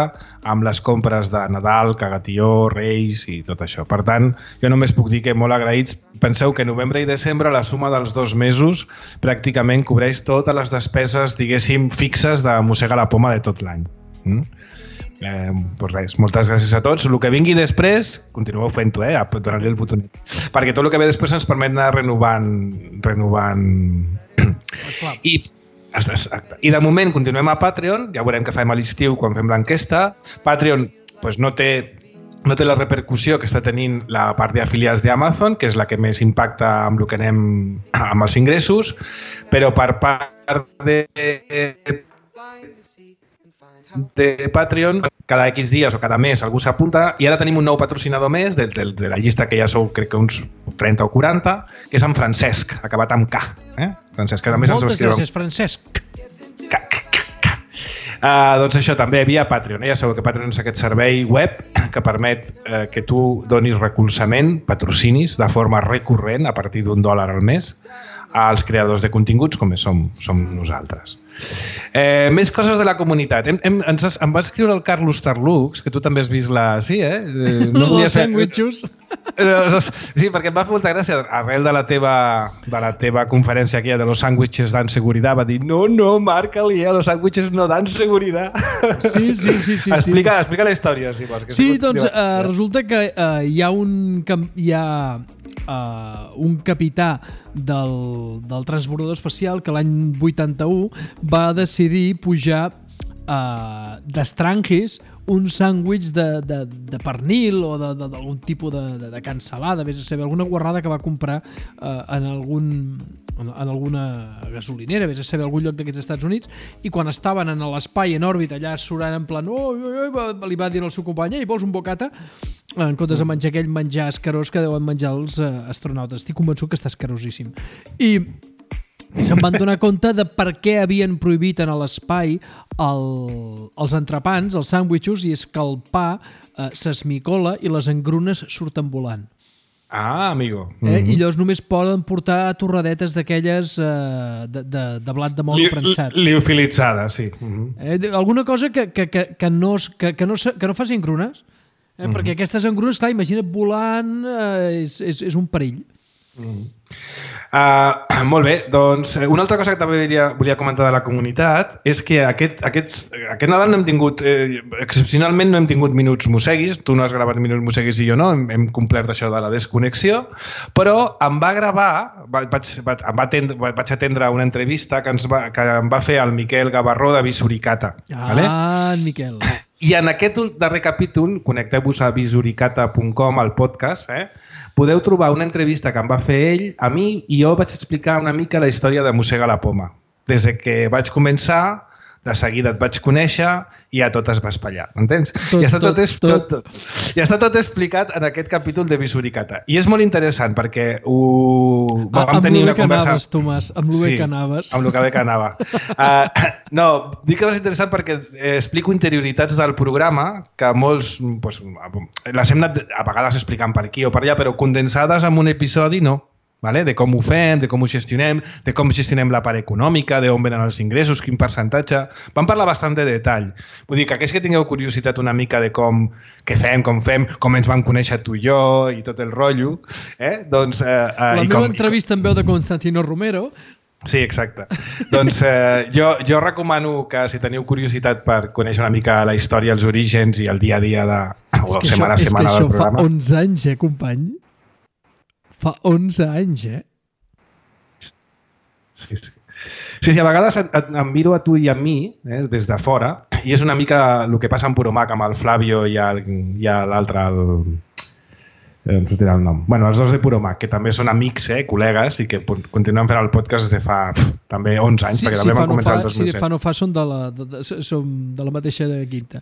amb les compres de Nadal, Cagatió, Reis i tot això. Per tant, jo només puc dir que molt agraïts. Penseu que novembre i desembre, la suma dels dos mesos pràcticament cobreix totes les despeses, diguéssim, fixes de Mossega la Poma de tot l'any. Mm? Eh, doncs res, moltes gràcies a tots. El que vingui després, continueu fent-ho, eh? Donant-li el botonet. Perquè tot el que ve després ens permet anar renovant... renovant... I, exacte. I de moment continuem a Patreon, ja veurem què fem a l'estiu quan fem l'enquesta. Patreon doncs, no té no té la repercussió que està tenint la part d'afiliats d'Amazon, que és la que més impacta amb el que anem amb els ingressos, però per part de de Patreon, cada X dies o cada mes algú s'apunta, i ara tenim un nou patrocinador més de, de, de la llista que ja sou, crec que uns trenta o quaranta, que és en Francesc, acabat amb K. Eh? Francesc, que a més Moltes ens escriu... gràcies, Francesc. K, K, K, K. Uh, doncs això, també via Patreon. Eh? Ja sabeu que Patreon és aquest servei web que permet eh, que tu donis recolzament, patrocinis, de forma recurrent, a partir d'un dòlar al mes, als creadors de continguts, com som, som nosaltres. Eh, més coses de la comunitat. Hem, hem, ens, em va escriure el Carlos Tarlux, que tu també has vist la... Sí, eh? No els sandwichos. Sí, perquè em va fer molta gràcia. Arrel de la teva, de la teva conferència aquí de los sándwiches dan seguridad, va dir no, no, marca-li, eh? Los sándwiches no dan seguridad. Sí, sí, sí. sí explica, sí. explica la història, si vols. Que sí, doncs uh, resulta que uh, hi ha un... Hi ha uh, un capità del, del transbordador espacial que l'any vuitanta-u va decidir pujar uh, d'estranquis un sàndwich de, de, de pernil o d'algun tipus de, de, de cansalada, vés a saber, alguna guarrada que va comprar uh, en algun en, en alguna gasolinera, vés a saber, algun lloc d'aquests Estats Units, i quan estaven en l'espai en òrbita, allà surant en plan oh, oh, oh, li va dir al seu company ei, vols un bocata? En comptes de menjar aquell menjar escarós que deuen menjar els uh, astronautes. Estic convençut que està escarosíssim. I i se'n van donar compte de per què havien prohibit en l'espai el, els entrepans, els sàndwichos, i és que el pa eh, s'esmicola i les engrunes surten volant. Ah, amigo. Eh? Mm-hmm. I llavors només poden portar torradetes d'aquelles eh, de, de, de blat de moro li, prensat. Liofilitzades, sí. Mm-hmm. Eh, alguna cosa que, que, que, que, no, que, que, no, que no faci engrunes, eh? Mm-hmm. Perquè aquestes engrunes, clar, imagina't volant, eh, és, és, és un perill. Mm. Uh, molt bé, doncs una altra cosa que també volia, volia comentar de la comunitat és que aquest, aquest, aquest Nadal no hem tingut, eh, excepcionalment no hem tingut minuts mosseguis, tu no has gravat minuts mosseguis i jo no, hem, hem complert això de la desconnexió, però em va gravar, vaig, vaig, em va atendre, vaig atendre una entrevista que, ens va, que em va fer el Miquel Gavarró de Visuricata. Ah, vale? en Miquel. I en aquest darrer capítol, connecteu-vos a visuricata punt com, al podcast, eh? Podeu trobar una entrevista que em va fer ell a mi i jo vaig explicar una mica la història de Mossega la Poma. Des que vaig començar, de seguida et vaig conèixer i ja tot es va espatllar, m'entens? Ja està tot, tot, tot, tot, ja està tot explicat en aquest capítol de Visuricata. I és molt interessant perquè ho... Ah, vam tenir una conversa... Anaves, Tomàs, amb el sí, que anaves. amb el que bé que anava. Uh, no, dic que és interessant perquè explico interioritats del programa que molts... Pues, les hem anat a vegades explicant per aquí o per allà, però condensades en un episodi no. Vale? De com ho fem, de com ho gestionem, de com gestionem la part econòmica, d'on venen els ingressos, quin percentatge... Vam parlar bastant de detall. Vull dir que aquells que tingueu curiositat una mica de com què fem, com fem, com ens vam conèixer tu i jo i tot el rotllo, eh? doncs... Eh, eh, la i meva com, entrevista amb veu de Constantino Romero... Sí, exacte. Doncs eh, jo, jo recomano que si teniu curiositat per conèixer una mica la història, els orígens i el dia a dia de... o setmana a setmana del programa... És que això fa onze anys, eh, company? Fa onze anys, eh? Sí, sí. Sí, sí, a vegades et, et, em miro a tu i a mi, eh, des de fora, i és una mica el que passa en Puromac amb el Flavio i l'altre, el... Eh, em sortirà el nom. Bueno, els dos de Puromac, que també són amics, eh, col·legues, i que continuen fent el podcast des de fa pff, també onze anys, sí, perquè sí, també van no començar fa, el dos mil set. Sí, de fa no fa són de la, de, de, som de la mateixa de quinta.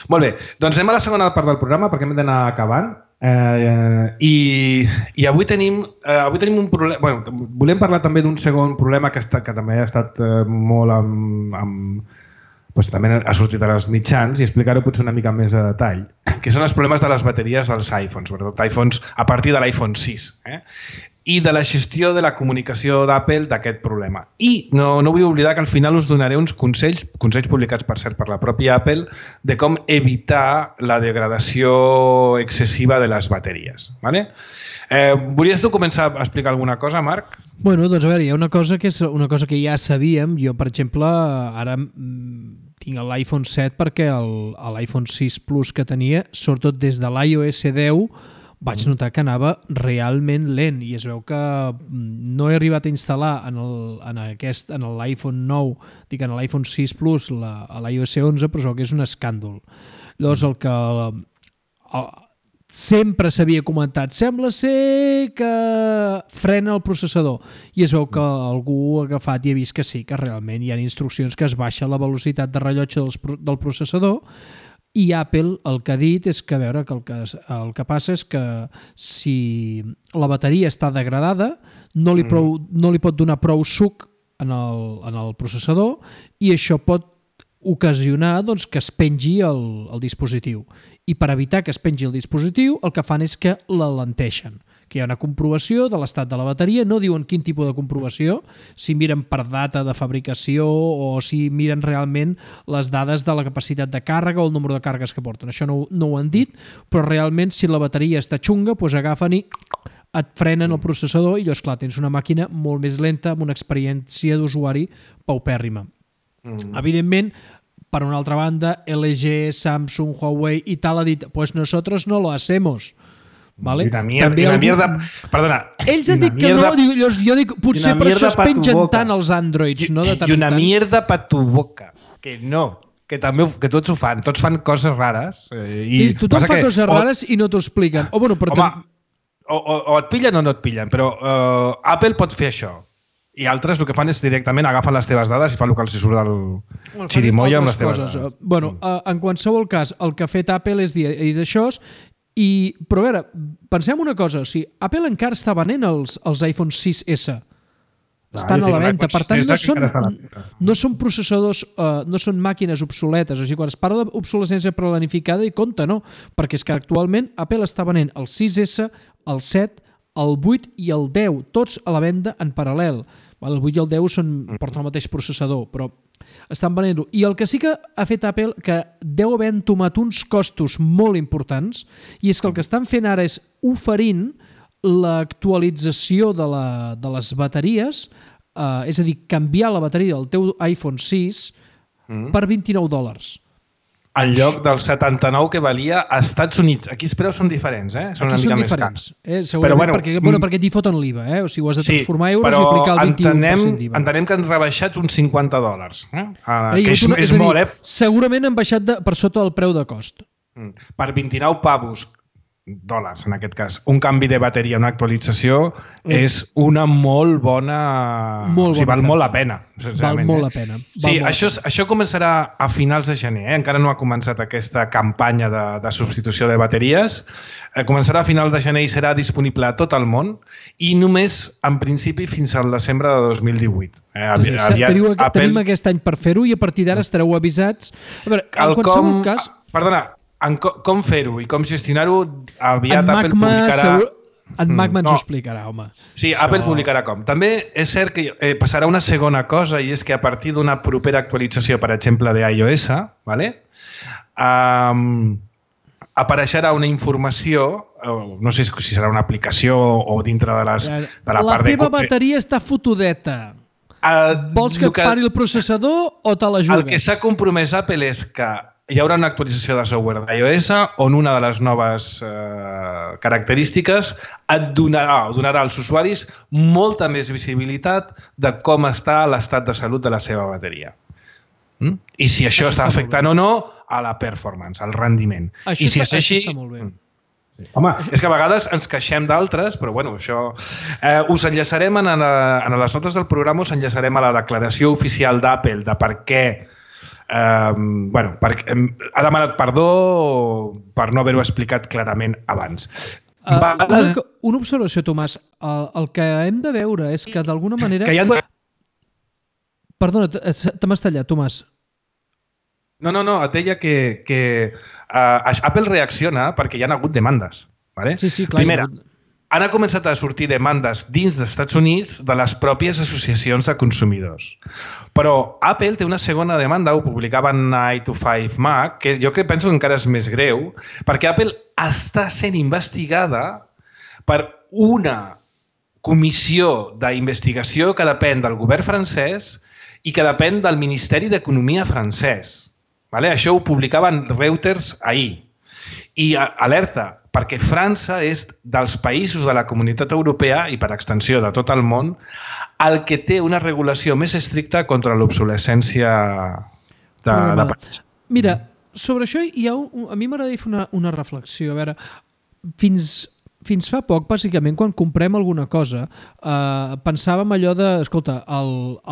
Molt bé, doncs anem a la segona part del programa perquè hem d'anar acabant. Eh, i, i avui tenim eh, avui tenim un problema, bueno, volem parlar també d'un segon problema que, està, que també ha estat eh, molt amb, amb doncs també ha sortit als mitjans i explicar-ho potser una mica més de detall, que són els problemes de les bateries dels iPhones, sobretot iPhones a partir de l'iPhone sis, eh? I de la gestió de la comunicació d'Apple d'aquest problema. I no, no vull oblidar que al final us donaré uns consells, consells publicats per cert per la pròpia Apple, de com evitar la degradació excessiva de les bateries. Vale? Eh, volies tu començar a explicar alguna cosa, Marc? Bueno, doncs a veure, hi ha una cosa que és una cosa que ja sabíem. Jo, per exemple, ara tinc l'iPhone set perquè l'iPhone sis Plus que tenia, sobretot des de l'iOS deu, vaig notar que anava realment lent i es veu que no he arribat a instal·lar en l'iPhone nou, dic en l'iPhone sis Plus, la, a l'iOS onze, però es veu que és un escàndol. Llavors, el que el, sempre s'havia comentat, sembla ser que frena el processador, i es veu que algú ha agafat i ha vist que sí, que realment hi ha instruccions que es baixa la velocitat de rellotge dels, del processador. I Apple el que ha dit és que, a veure, que el, que el que passa és que si la bateria està degradada no li, prou, no li pot donar prou suc en el, en el processador i això pot ocasionar doncs, que es pengi el, el dispositiu. I per evitar que es pengi el dispositiu el que fan és que l'alenteixen, que hi ha una comprovació de l'estat de la bateria, no diuen quin tipus de comprovació, si miren per data de fabricació o si miren realment les dades de la capacitat de càrrega o el número de càrregues que porten. Això no, no ho han dit, però realment si la bateria està xunga, doncs agafen i et frenen el processador i llavors, clar, tens una màquina molt més lenta amb una experiència d'usuari paupèrrima. Mm. Evidentment, per una altra banda, L G, Samsung, Huawei i tal ha dit, pues nosotros no lo hacemos. Vale? I una mierda, i una algú... mierda... Perdona. Ells han dit que no, dic, jo, jo dic, potser per això es pengen tant els Androids, I, no? De tant I una tant. mierda per tu boca. Que no, que també que tots ho fan, tots fan coses rares. Eh, i sí, tothom fa que, coses rares o, i no t'ho expliquen. O, bueno, però home, o, o, o et pillen o no et pillen, però uh, Apple pot fer això. I altres el que fan és directament agafen les teves dades i fan el que els surt del bueno, xirimoia amb les teves coses. dades. Bueno, uh, en qualsevol cas, el que ha fet Apple és dir, dir d'això. I, però a veure, pensem una cosa, o sigui, Apple encara està venent els, els iPhone sis essa. Estan ah, a la venda, per tant no són, no són processadors, uh, no són màquines obsoletes, o sigui, quan es parla d'obsolescència planificada i compte, no, perquè és que actualment Apple està venent el sis essa, el set, el vuit i el deu, tots a la venda en paral·lel. El vuit i el deu són, porten el mateix processador, però estan venent-ho. I el que sí que ha fet Apple, que deu haver entomat uns costos molt importants, i és que el que estan fent ara és oferint l'actualització de, la, de les bateries, eh, és a dir, canviar la bateria del teu iPhone sis mm. per vint-i-nou dòlars. En lloc del setanta-nou que valia a Estats Units. Aquí els preus són diferents, eh? Són Aquí una són mica diferents. Més cars. Eh? Segurament bueno, perquè, bueno, perquè t'hi foten l'I V A, eh? O sigui, ho has de transformar sí, euros i aplicar el vint-i-u per cent d'I V A. Entenem que han rebaixat uns cinquanta dòlars. Eh? Uh, eh, que és, una, és, és dir, molt, eh? Segurament han baixat de, per sota del preu de cost. Mm. Per vint-i-nou pavos, dòlars en aquest cas, un canvi de bateria, una actualització, eh. és una molt bona... Molt o sigui, bona val oferta. molt la pena. Val molt eh? la pena. Val sí, molt això, la pena. això començarà a finals de gener, eh? Encara no ha començat aquesta campanya de, de substitució de bateries. Eh, començarà a finals de gener i serà disponible a tot el món i només, en principi, fins al desembre de dos mil divuit. Eh, avi, sí, aviat, teniu, Apple... Tenim aquest any per fer-ho i a partir d'ara estareu avisats. A veure, en qualsevol com... cas... Perdona, En co com fer-ho i com gestionar-ho aviat en Apple Magma, publicarà... Segur... En Magma ens no. ho explicarà, home. Sí, Això... Apple publicarà com. També és cert que eh, passarà una segona cosa i és que a partir d'una propera actualització, per exemple, d'iOS, ¿vale? um, apareixerà una informació, no sé si serà una aplicació o dintre de, les, de la, la part de... La teva bateria està fotudeta. Uh, Vols que, que et pari el processador o te la jugues? El que s'ha compromès Apple és que hi haurà una actualització de software d'iOS on una de les noves eh, característiques et donarà, donarà als usuaris molta més visibilitat de com està l'estat de salut de la seva bateria. Mm? I si això, això està afectant o no a la performance, al rendiment. Això, I si està, és així, això està molt bé. Sí. Home, és que a vegades ens queixem d'altres, però bueno, això... Eh, us enllaçarem en, la, en les notes del programa, us enllaçarem a la declaració oficial d'Apple de per què eh, bueno, per, eh, ha demanat perdó per no haver-ho explicat clarament abans. Uh, una, una observació, Tomàs. El, el que hem de veure és que d'alguna manera... Que hi ha... Perdona, te m'has tallat, Tomàs. No, no, no, et deia que, que uh, Apple reacciona perquè hi ha hagut demandes. Vale? Sí, sí, clar. Primera, han començat a sortir demandes dins dels Estats Units de les pròpies associacions de consumidors. Però Apple té una segona demanda, ho publicava en nine to five Mac, que jo crec, penso que encara és més greu, perquè Apple està sent investigada per una comissió d'investigació que depèn del govern francès i que depèn del Ministeri d'Economia francès. Vale? Això ho publicaven Reuters ahir. I alerta, perquè França és dels països de la Comunitat Europea i per extensió de tot el món el que té una regulació més estricta contra l'obsolescència de, de país. Mira, sobre això hi ha un, a mi m'agradaria fer una, una reflexió. A veure, fins... Fins fa poc, bàsicament, quan comprem alguna cosa, eh, pensàvem allò de, escolta,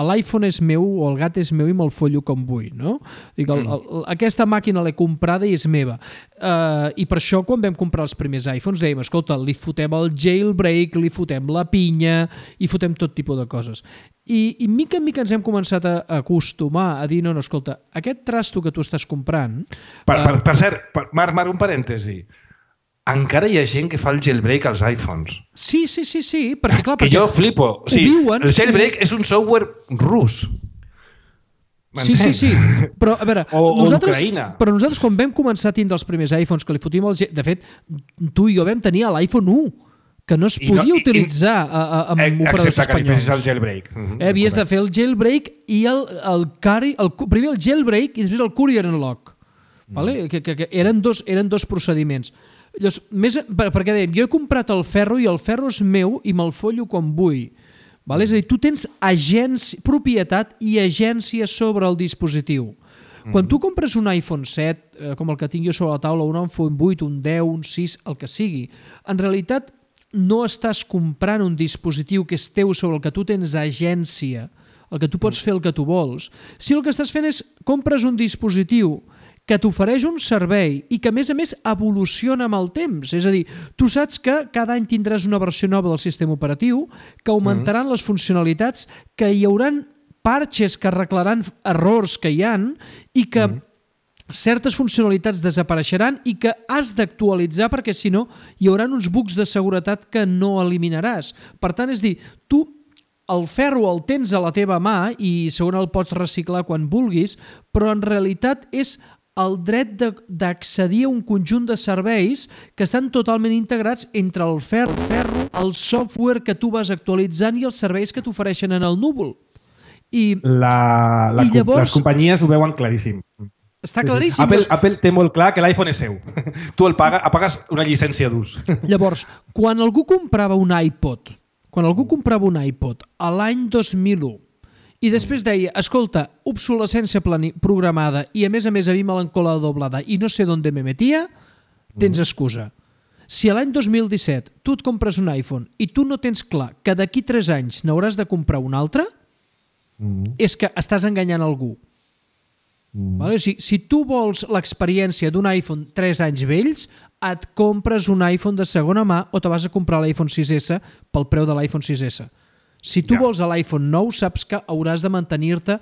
l'iPhone és meu o el gat és meu i me'l follo com vull, no? Dic, el, el, aquesta màquina l'he comprada i és meva. Eh, I per això, quan vam comprar els primers iPhones, dèiem, escolta, li fotem el jailbreak, li fotem la pinya, i fotem tot tipus de coses. I, i mica en mica ens hem començat a acostumar a dir, no, no, escolta, aquest trasto que tu estàs comprant... Per, per, per cert, per, Marc, Marc, un parèntesi. Encara hi ha gent que fa el jailbreak als iPhones. Sí, sí, sí, sí, perquè clar... Que perquè jo flipo. O sigui, diuen... El jailbreak és un software rus. Sí, sí, sí. Però, a veure, o, nosaltres, o Ucraïna. Però nosaltres, quan vam començar a tindre els primers iPhones, que li fotíem el... De fet, tu i jo vam tenir l'iPhone u, que no es podia no, utilitzar i, a, a, amb eh, operadors espanyols. Excepte que li fessis el jailbreak. Mm-hmm, eh, havies correcte. de fer el jailbreak i el, el, carry, el primer el jailbreak i després el courier unlock. Mm. Vale? Que, que, que eren, dos, eren dos procediments. Llavors, més, perquè dèiem, jo he comprat el ferro i el ferro és meu i me'l follo com vull. Vale? És a dir, tu tens agència, propietat i agència sobre el dispositiu. Mm-hmm. Quan tu compres un iPhone set, eh, com el que tinc jo sobre la taula, un iPhone vuit, un deu, un sis, el que sigui, en realitat no estàs comprant un dispositiu que és teu sobre el que tu tens agència, el que tu pots fer el que tu vols. Si el que estàs fent és compres un dispositiu que t'ofereix un servei i que, a més a més, evoluciona amb el temps. És a dir, tu saps que cada any tindràs una versió nova del sistema operatiu, que augmentaran mm-hmm. les funcionalitats, que hi hauran parches que arreglaran errors que hi han i que mm-hmm. certes funcionalitats desapareixeran i que has d'actualitzar perquè, si no, hi haurà uns bugs de seguretat que no eliminaràs. Per tant, és dir, tu el ferro el tens a la teva mà i segurament el pots reciclar quan vulguis, però en realitat és el dret d'accedir a un conjunt de serveis que estan totalment integrats entre el ferro, ferro, el software que tu vas actualitzant i els serveis que t'ofereixen en el núvol. I, la, la, i llavors... Les companyies ho veuen claríssim. Està claríssim. Apple, Apple té molt clar que l'iPhone és seu. Tu el paga, pagues una llicència d'ús. Llavors, quan algú comprava un iPod, quan algú comprava un iPod a l'any dos mil u, i després deia, escolta, obsolescència programada i a més a més a mi me l'han colado doblada i no sé d'on me metia, tens excusa. Si a l'any dos mil disset tu et compres un iPhone i tu no tens clar que d'aquí tres anys n'hauràs de comprar un altre, mm. és que estàs enganyant algú. Mm. Vale? Si, si tu vols l'experiència d'un iPhone tres anys vells, et compres un iPhone de segona mà o te vas a comprar l'iPhone sis essa pel preu de l'iPhone sis essa. Si tu ja. vols l'iPhone nou, saps que hauràs de mantenir-te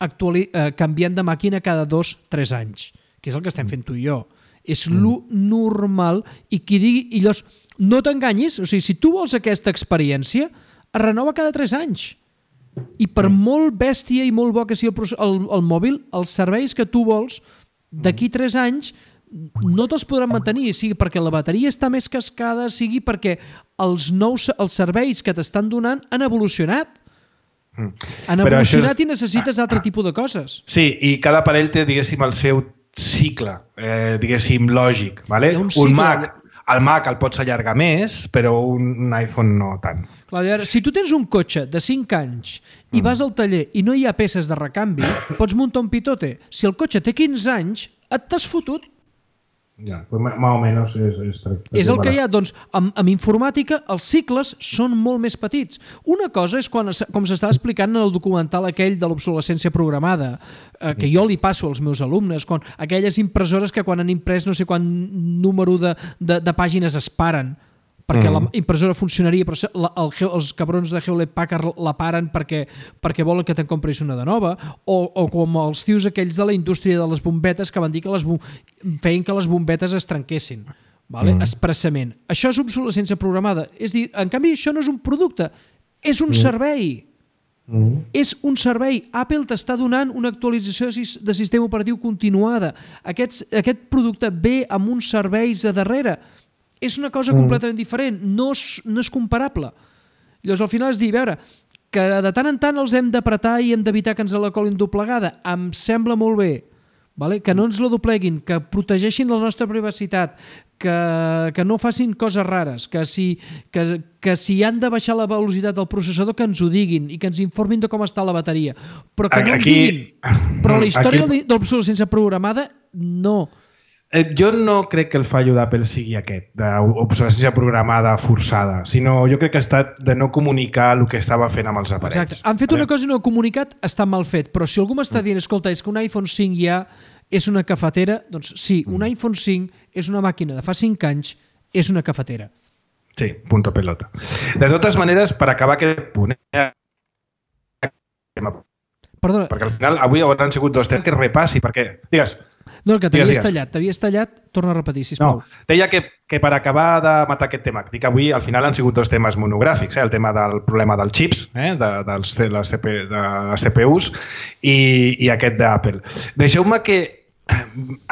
actuali- eh, canviant de màquina cada dos o tres anys, que és el que estem fent tu i jo. És mm. lo normal i qui digui... I llavors, no t'enganyis, o sigui, si tu vols aquesta experiència, es renova cada tres anys. I per mm. molt bèstia i molt bo que sigui el, el, el mòbil, els serveis que tu vols, d'aquí tres anys no te'ls podran mantenir, sigui perquè la bateria està més cascada, sigui perquè els nous els serveis que t'estan donant han evolucionat. Mm. Han Però evolucionat és... i necessites ah, altre ah. tipus de coses. Sí, i cada aparell té, diguéssim, el seu cicle, eh, diguéssim, lògic. Vale? Un, un Mac, el Mac el pots allargar més, però un iPhone no tant. Clar, si tu tens un cotxe de cinc anys i mm. vas al taller i no hi ha peces de recanvi, pots muntar un pitote. Si el cotxe té quinze anys, et t'has fotut. Ja, pues més o menys és... És, és el que hi ha. Doncs, amb, amb informàtica, els cicles són molt més petits. Una cosa és, quan, com s'estava explicant en el documental aquell de l'obsolescència programada, eh, que jo li passo als meus alumnes, quan aquelles impressores que quan han imprès no sé quant número de, de, de pàgines es paren, perquè mm. la impressora funcionaria, però la, el, els cabrons de Hewlett Packard la paren perquè, perquè volen que te'n compris una de nova, o, o com els tios aquells de la indústria de les bombetes que van dir que les, feien que les bombetes es trenquessin, vale? mm. expressament. Això és obsolescència programada. És dir, en canvi, això no és un producte, és un mm. servei. Mm. És un servei. Apple t'està donant una actualització de sistema operatiu continuada. Aquest, aquest producte ve amb uns serveis a darrere. És una cosa completament diferent, no és, no és comparable. Llavors, al final és dir, a veure, que de tant en tant els hem d'apretar i hem d'evitar que ens la colin doblegada, em sembla molt bé, vale? Que no ens la dobleguin, que protegeixin la nostra privacitat, que, que no facin coses rares, que si, que, que si han de baixar la velocitat del processador, que ens ho diguin i que ens informin de com està la bateria. Però que no aquí, em diguin. Però la història aquí... de l'obsolescència programada, no. Jo no crec que el fallo d'Apple sigui aquest, d'obsolescència programada forçada, sinó jo crec que ha estat de no comunicar el que estava fent amb els aparells. Exacte. Han fet una cosa i no comunicat, està mal fet, però si algú m'està dient, escolta, és que un iPhone cinc ja és una cafetera, doncs sí, un iPhone cinc és una màquina de fa cinc anys, és una cafetera. Sí, punto pelota. De totes maneres, per acabar aquest punt, eh? Perdona. Perquè al final avui hauran sigut dos temes que repassi, perquè... Digues. No, que t'havies tallat, t'havies tallat, torna a repetir, sisplau. No, deia que, que per acabar de matar aquest tema, dic que avui al final han sigut dos temes monogràfics, eh? El tema del problema dels xips, eh? de, dels, de, les C P, de les C P Us i, i aquest d'Apple. Deixeu-me que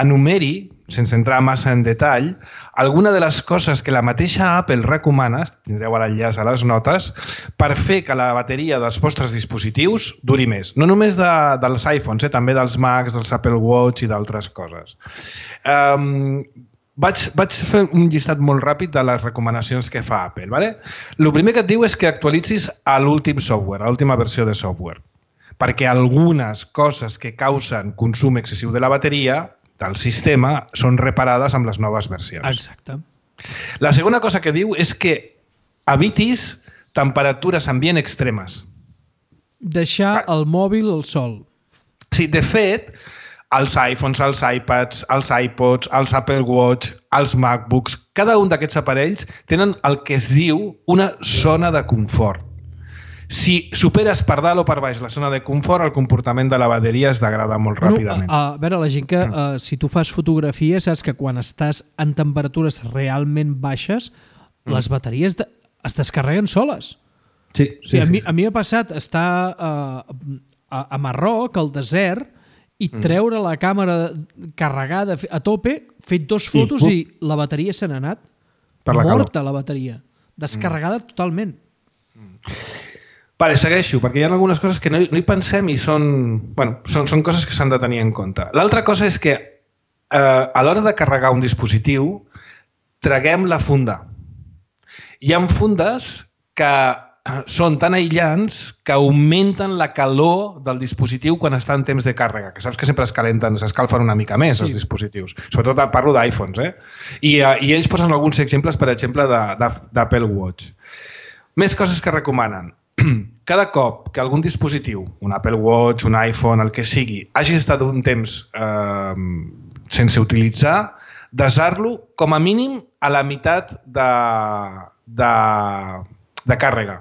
enumeri, sense entrar massa en detall, alguna de les coses que la mateixa Apple recomana, tindreu l'enllaç a les notes, per fer que la bateria dels vostres dispositius duri més. No només de, dels iPhones, eh? També dels Macs, dels Apple Watch i d'altres coses. Um, vaig, vaig fer un llistat molt ràpid de les recomanacions que fa Apple. ¿vale? El primer que et diu és que actualitzis a l'últim software, a l'última versió de software, perquè algunes coses que causen consum excessiu de la bateria del sistema són reparades amb les noves versions. Exacte. La segona cosa que diu és que evitis temperatures ambient extremes. Deixar el mòbil al sol. Sí, de fet, els iPhones, els iPads, els iPods, els Apple Watch, els MacBooks, cada un d'aquests aparells tenen el que es diu una zona de confort. Si superes per dalt o per baix la zona de confort, el comportament de la bateria es degrada molt bueno, ràpidament. A, a veure, la gent que, mm. uh, si tu fas fotografia, saps que quan estàs en temperatures realment baixes, mm. les bateries de, es descarreguen soles. Sí, sí, o sigui, sí, a mi, sí. A mi m'ha passat estar uh, a, a Marroc, al desert, i mm. treure la càmera carregada a tope, fet dos fotos i, i la bateria se n'ha anat. Per la morta, calor. La bateria. Descarregada mm. totalment. Mm. Vale, segueixo, perquè hi ha algunes coses que no hi, no hi pensem i són, bueno, són, són coses que s'han de tenir en compte. L'altra cosa és que eh, a l'hora de carregar un dispositiu traguem la funda. Hi ha fundes que són tan aïllants que augmenten la calor del dispositiu quan està en temps de càrrega, que saps que sempre es calenten, s'escalfen una mica més, sí. Els dispositius. Sobretot parlo d'iPhones, eh? I, I ells posen alguns exemples, per exemple, d'Apple Watch. Més coses que recomanen. Cada cop que algun dispositiu, un Apple Watch, un iPhone, el que sigui, hagi estat un temps eh, sense utilitzar, desar-lo com a mínim a la meitat de, de, de càrrega.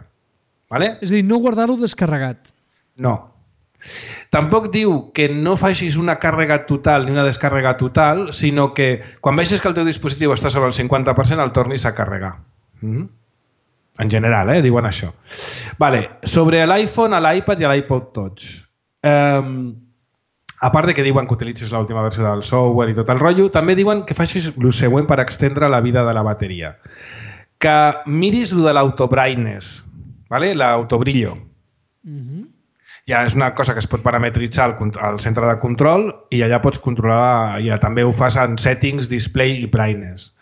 Vale? És a dir, no guardar-lo descarregat. No. Tampoc diu que no facis una càrrega total ni una descàrrega total, sinó que quan vegis que el teu dispositiu està sobre el cinquanta per cent el tornis a carregar. Mm-hmm. En general, eh? Diuen això. Vale. Sobre l'iPhone, l'iPad i l'iPod Touch. Um, a part de que diuen que utilitzis l'última versió del software i tot el rotllo, també diuen que facis el següent per extendre la vida de la bateria. Que miris el de l'auto-brightness, ¿vale? L'autobrillo. Mm-hmm. Ja és una cosa que es pot parametritzar al, al centre de control i allà pots controlar, ja també ho fas en settings, display i brightness.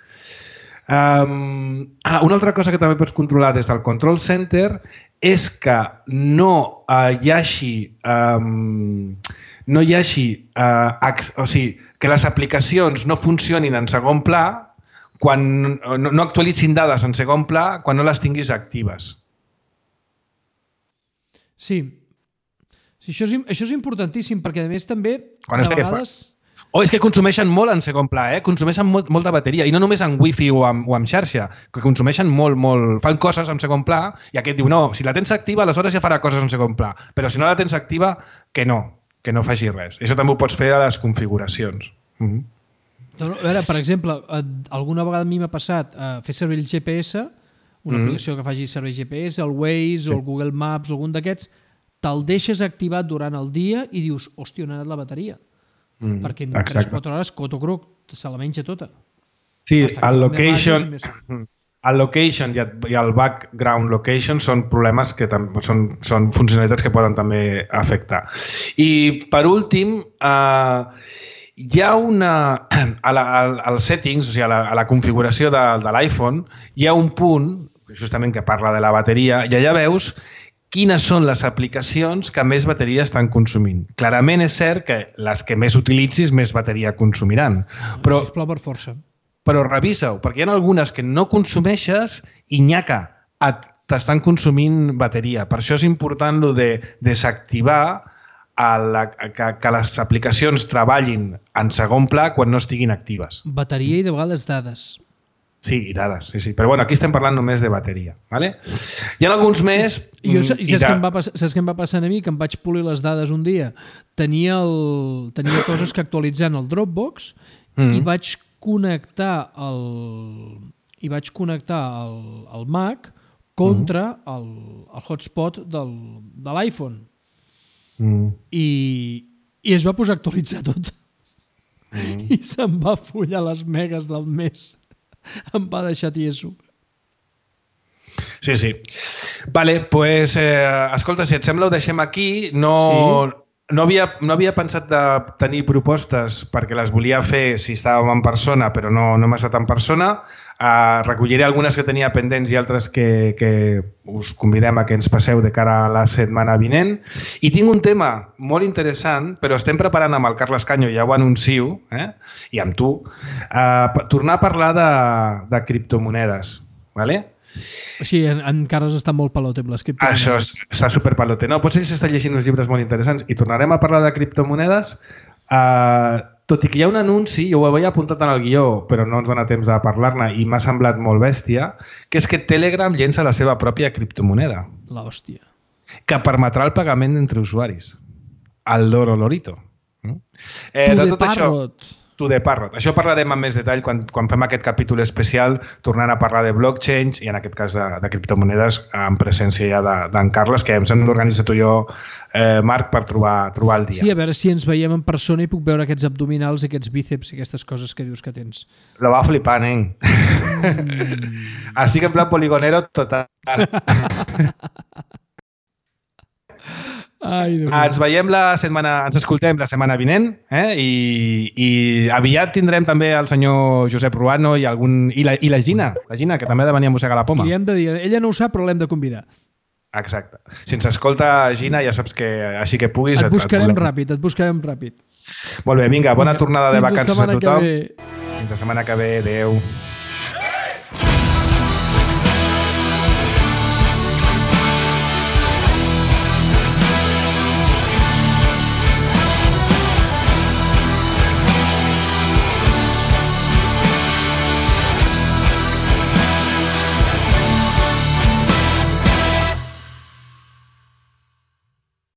Um, ah, una altra cosa que també pots controlar des del Control Center és que no uh, hi hagi um, no hi hagi, eh, o sigui, que les aplicacions no funcionin en segon pla, quan no, no actualitzin dades en segon pla quan no les tinguis actives. Sí. sí això, és, això és importantíssim, perquè a més també, quan de vegades... Fa... O és que consumeixen molt en segon pla, eh? Consumeixen molt, molt de bateria, i no només en wifi o amb, o amb xarxa, que consumeixen molt, molt... Fan coses en segon pla, i aquest diu, no, si la tens activa, aleshores ja farà coses en segon pla, però si no la tens activa, que no, que no faci res. Això també ho pots fer a les configuracions. Mm-hmm. No, no, a veure, per exemple, alguna vegada a mi m'ha passat a fer servir el G P S, una mm-hmm. aplicació que faci servir G P S, el Waze sí. o el Google Maps, algun d'aquests, te'l deixes activat durant el dia i dius, hòstia, on ha anat la bateria? Mm, perquè en tres o quatre hores Cotocroc se la menja tota. Sí, el location, el location i el, i el background location són problemes que són, són funcionalitats que poden també afectar. I per últim, eh, hi ha una... A la, als settings, o sigui, a la, a la configuració de, de l'iPhone, hi ha un punt, justament que parla de la bateria, i allà veus quines són les aplicacions que més bateria estan consumint. Clarament és cert que les que més utilitzis més bateria consumiran. Però, sisplau, per força. Però revisa-ho, perquè hi ha algunes que no consumeixes i nyaca, t'estan consumint bateria. Per això és important lo de desactivar a la, que, que les aplicacions treballin en segon pla quan no estiguin actives. Bateria i de vegades dades. Sí, i dades, sí, sí. Però bueno, aquí estem parlant només de bateria. ¿Vale? Hi ha alguns més... I jo, i saps, i què em va passar, saps què em va passar a mi? Que em vaig polir les dades un dia. Tenia, el, tenia coses que actualitzar en el Dropbox mm. i vaig connectar el, i vaig connectar el, el Mac contra mm. el, el hotspot del, de l'iPhone. Mm. I, I es va posar a actualitzar tot. Mm. I se'm va follar les megas del mes. Em va deixar tieso. Sí, sí. Vale, pues, eh, escolta, si et sembla ho deixem aquí. No, sí. no, havia, no havia pensat de tenir propostes perquè les volia fer si estàvem en persona, però no, no hem estat en persona. Uh, recolliré algunes que tenia pendents i altres que, que us convidem a que ens passeu de cara a la setmana vinent. I tinc un tema molt interessant, però estem preparant amb el Carles Canyo, ja ho anuncio, eh? I amb tu, uh, tornar a parlar de, de criptomonedes. Vale? Sí, en, encara està molt pelote amb les criptomonedes. Això és, està superpelote. No, potser s'està llegint uns llibres molt interessants i tornarem a parlar de criptomonedes. Uh, tot i que hi ha un anunci, jo ho havia apuntat en el guió, però no ens dona temps de parlar-ne i m'ha semblat molt bèstia, que és que Telegram llença la seva pròpia criptomoneda. L'hòstia. Que permetrà el pagament entre usuaris. El loro lorito. Eh, tu de de tot parrot. Això, tu de parrot. Això parlarem amb més detall quan, quan fem aquest capítol especial, tornant a parlar de blockchains i en aquest cas de, de criptomonedes en presència ja d'en de, Carles, que ens hem d'organitzar tu i jo, eh, Marc, per trobar, trobar el dia. Sí, a veure si ens veiem en persona i puc veure aquests abdominals, aquests bíceps i aquestes coses que dius que tens. Lo va flipant, eh? Mm. Estic en plan poligonero total. Ai, ens veiem la setmana, ens escoltem la setmana vinent, eh? I, i aviat tindrem també el senyor Josep Ruano i, algun, i, la, i la Gina, la Gina, que també ha de venir a mossegar la poma. Li hem de dir, ella no ho sap, però l'hem de convidar. Exacte. Si ens escolta Gina, ja saps que així que puguis... Et buscarem et ràpid, et buscarem ràpid. Molt bé, vinga, bona vinga, tornada de vacances a tothom. Fins la setmana que ve. Adéu.